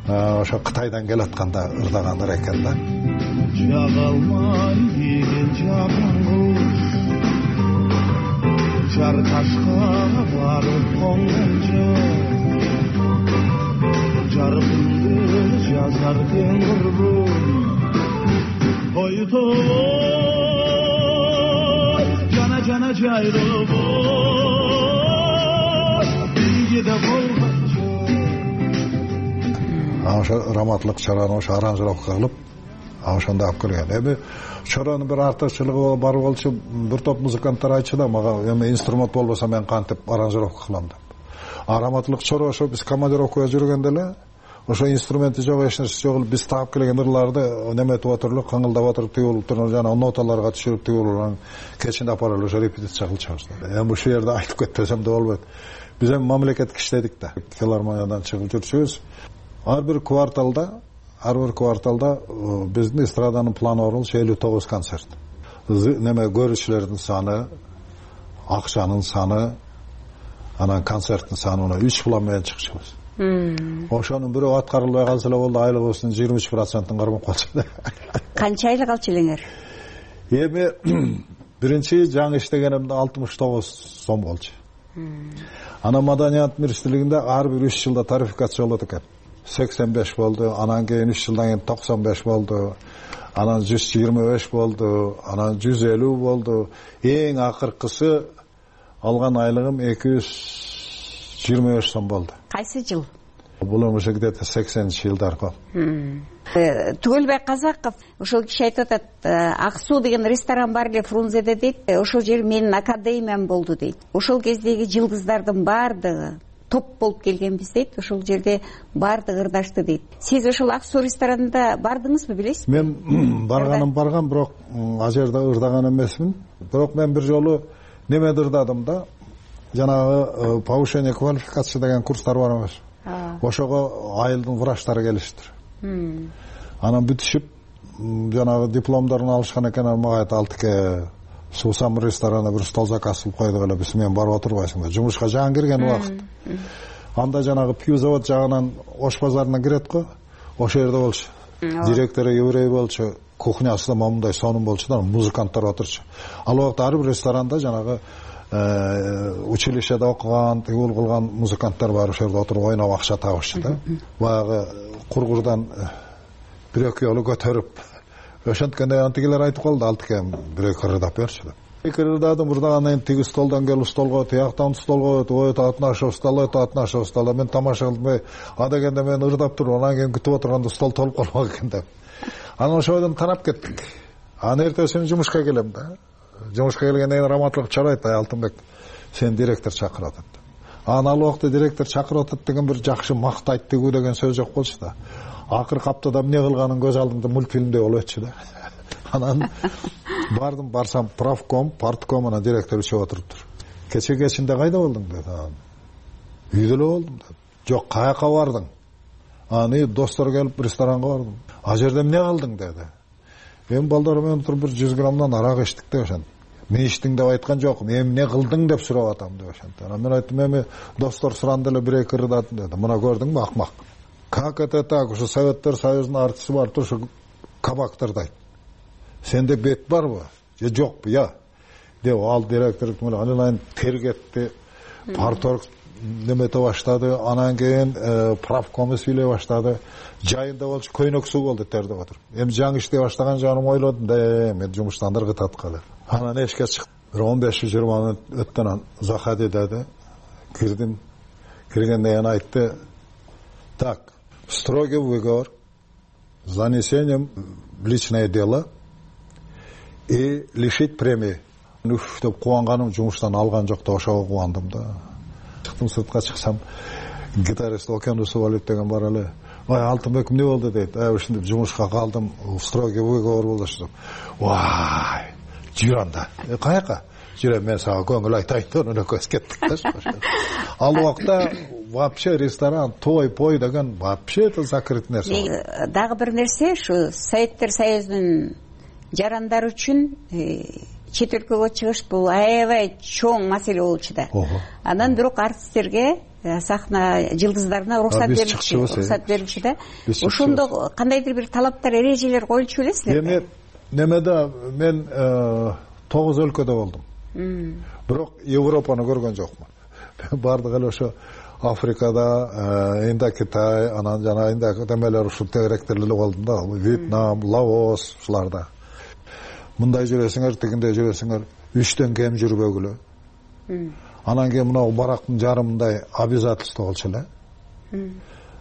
ошо Кытайдан келатканда ырдагандар экен да. Жагалмай деген жапон куш жар ташка барып конгон жок, жарпымды жазар сен коргум, ой тобо жана жана жайлообуз ошо Раматлык Чорону ошо аранжировка кылып, ошондо алып келген. Эми Чоронун бир артыкчылыгы бар болчу, бир топ музыканттар айтчу да, мага эми инструмент болбосо мен кантип аранжировка кылам деп. А Раматлык Чоро ошо биз командировкага жүргөндө эле ошо инструменти жок, эч нерсе жок, биз таап келген ырларды неметип отуруп, каңылдап отуруп, тигип туруп, жана ноталарга түшүрүп тигип кечинде апарып ошо репетиция кылчубуз. Эми ушул жерде айтып кетпесем да болбойт. Биз эми мамлекеттик иштедик да. Филармониядан чыгып жүрчүбүз. Ар бир кварталда, ар бир кварталда биздин эстраданын планы болчу элүү тогуз концерт. Неме көрүүчүлөрдүн саны, акчанын саны, анан концерттин саны үч план менен чыкчубуз. Ошонун бирөө аткарылбай калса эле болду, айлыгыбыздын жыйырма үч процентин кармап калчу. Канча айлык алчу элеңер? Эми биринчи жаңы иштегенимде алтымыш тогуз сом болчу. Анан маданият министрлигинде ар бир үч жылда тарификация болот экен. сексен беш болду, анан кийин үч жылдан кийин токсон беш болду, анан жүз жыйырма беш болду, анан жүз элүү болду. Эң акыркысы алган айлыгым эки жүз жыйырма беш сом болду. Кайсы жыл? бул эми ушу где то сексенинчи жылдар го. Түгөлбай Казаков ошол киши айтып атат, Ак суу деген ресторан бар эле Фрунзеде дейт, ошол жер менин академиям болду дейт. Ошол кездеги жылдыздардын баардыгы топ болуп келгенбиз дейт, ошол жерде баардыгы ырдашты дейт. Сиз ошол Ак суу ресторанында бардыңызбы, билесизби? Мен барганым барган, бирок ал жерде ырдаган эмесмин. Бирок мен бир жолу немеде ырдадым да, жанагы повышение квалификации деген курстар бар эмес. Ошого айылдын врачтары келиштир. Анан бүтүшүп жанагы дипломдорун алышкан экен, мага айтты, Алтыке суусам ресторанда бир стол заказ кылып койдук эле, биз менен барып отурбайсың да. Жумушка жаңы кирген убакыт. Анда жанагы пью завод жагынан Ош базарына кирет го. Ошол жерде болчу. Директору еврей болчу, кухнясында момундай сонун болчу да, музыканттар отурчу. Ал убакта ар бир ресторанда жанагы училищеде окуган, тигул кылган музыканттар бар, ошол жерде отуруп ойноп акча табышчу да. Баягы кургурдан бир эки жолу көтөрүп, ошонткенде антигилер айтып калды, Алтыке бир эки ырдап берчү деп. Эки ырдадым, ырдагандан кийин тиги столдон келип столго, тияктан столго өтүп, ой татнашып стол, ой татнашып стол. Мен тамаша кылдым, а дегенде мен ырдап туруп, анан кийин күтүп отурганда стол толуп калбак экен деп. Анан ошойдон тарап кеттик. Анан эртеси күнү жумушка келем да. Жумушка келгенден кийин раматлык чарайт, Алтынбек сен директор чакырып атат. Анан ал убакта директор чакырып атат деген бир жакшы мактайт тигүү деген сөз жок болчу да. Акыркы аптада эмне кылганын көз алдымда мультфильмдей болуп өтчү да. Анан бардым, барсам правком, партком, анан директор үчөп отуруптур. Кече кечинде кайда болдуң деди. Үйдө эле болдум деди. Жок, каяка бардың? Аны достор келип ресторанга бардым. А жерде эмне кылдың деди. Эми балдар менен отуруп бир жүз граммдан арак ичтик деп ошентип. Не ичтиң деп айткан жокмун, эмне кылдың деп сурап атам деп ошентип. Анан мен айттым, эми достор суранды эле бир эки ырдадым деди. Мына көрдүңбү, акмак. Как это так? Ушу Советтер Союзунун артисти бар, ушу кабактырдайт. Сенде бет барбы? Же жокпу? Я. Деп ал директор анан тергетти, парторг немете баштады, анан кийин правкомду сүйлөй баштады. Жайында болчу, көйнөк суу болду тердеп отуруп. Эми жаңы иштей баштаган жаным ойлодум да, мен жумуштан ыргытат калып. Анан эшикке чыктым. Бир он беш жыйырма мүнөт өттөн анан заходи деди. Кирдим. Киргенден кийин айтты: "Так, строгий выговор, занесением в личное дело и лишить премии." Үф деп кубанганым, жумуштан алган жок да, ошого кубандым да. Чыктым, сыртка чыксам, гитарист Окен Усубалиев деген бар эле. Ой, Алтынбек эмне болду дейт. Ай, ушинтип жумушка калдым, строгий выговор болду деп. Вай, жүр анда. Э, каяка? Жүрөм, мен сага көңүл айтайын деп эле көз кеттик да. Ал убакта вообще ресторан, той, пой деген вообще это закрыт нерсе. Дагы бир нерсе, ушу Советтер Союзунун жарандары үчүн чет өлкөгө чыгыш бул аябай чоң маселе болчу да. Анан бирок артисттерге, сахна жылдыздарына уруксат берилчү, уруксат берилчү да. Ошондо кандайдыр бир талаптар, эрежелер коюлчу белесиңерби? Эми немеде мен тогуз өлкөдө болдум. Бирок Европаны көргөн жокмун. Бардык эле ошо Африкада, Инда Китай, анан жана Инда демелер ушул тегеректер эле болдум да. Вьетнам, Лаос ушуларда. Мындай жүрөсүңөр, тигиндей жүрөсүңөр, үчтөн кем жүрбөгүлө. Анан кийин мына барактын жарымындай обязательство болчу эле.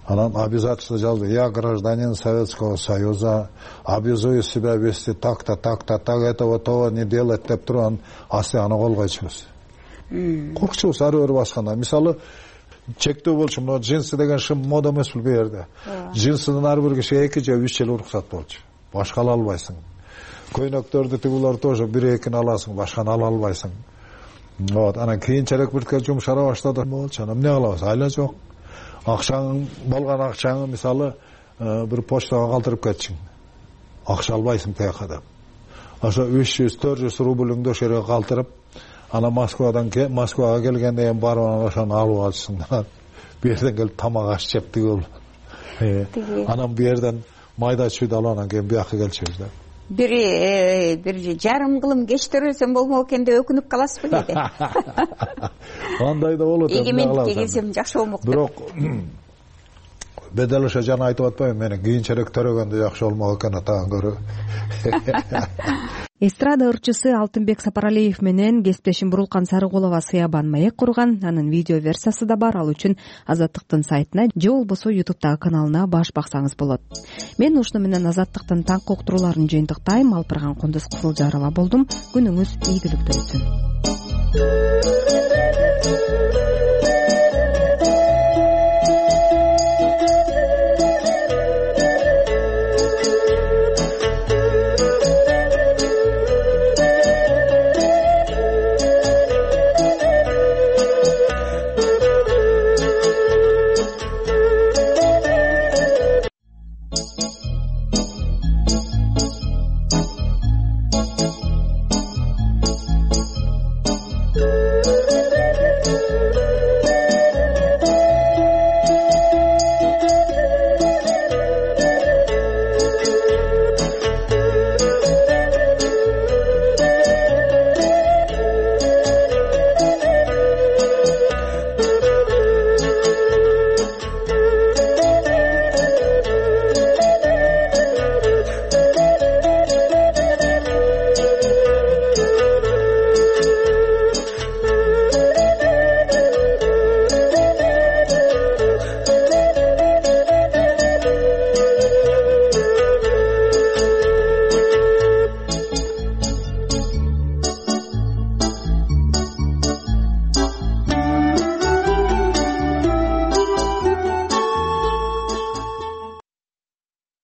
Анан обязательство жазды: "Я гражданин Советского Союза, обязую себя вести так-то, так-то, так, этого, того не делать" деп туруп, анан асты аны кол койчубуз. Коркчубуз ары бери басканда. Мисалы, чектөө болчу, мына джинсы деген шым мода эмес бул жерде. Джинсыдан ар бир кишиге эки же үч жыл уруксат болчу. Башка ала албайсың. Көйнөктөрдү тигулар тоже бир экини аласың, башканы ала албайсың. Вот, анан кийинчерээк бир жумшара баштады. Болчу, анан эмне кылабыз? Айла жок. Акчаң болгон акчаңы мисалы бир почтага калтырып кетчиң. Акча албайсың тияка деп. Ошо үч жүз төрт жүз рубльыңды ошо жерге калтырып, анан Москвадан Москвага келгенде эми барып анан ошону алып алчысың. Бу жерден келип тамак аш жеп тигил. Анан бу жерден майда чүйдү алып анан кийин бияка келчүбүз да. Бир бир жарым кылым кеч төрөлсөм болмок экен деп өкүнүп каласызбы кээде? Андай да болот. Эгемендикке келсем жакшы болмок деп. Бирок бедел ошо жана айтып атпайбы, мени кийинчерээк төрөгөндө жакшы болмок экен атаган көрө. эстрада ырчысы Алтынбек Сапаралиев менен кесиптешим Бурулкан Сарыкулова сыябан маек курган. Анын видео версиясы да бар. Ал үчүн Азаттыктын сайтына же болбосо ютубтагы каналына баш баксаңыз болот. Мен ушуну менен Азаттыктын таңкы уктурууларын жыйынтыктайм. Алпырган Кундуз Кызылжарова болдум. Күнүңүз ийгиликтүү өтсүн.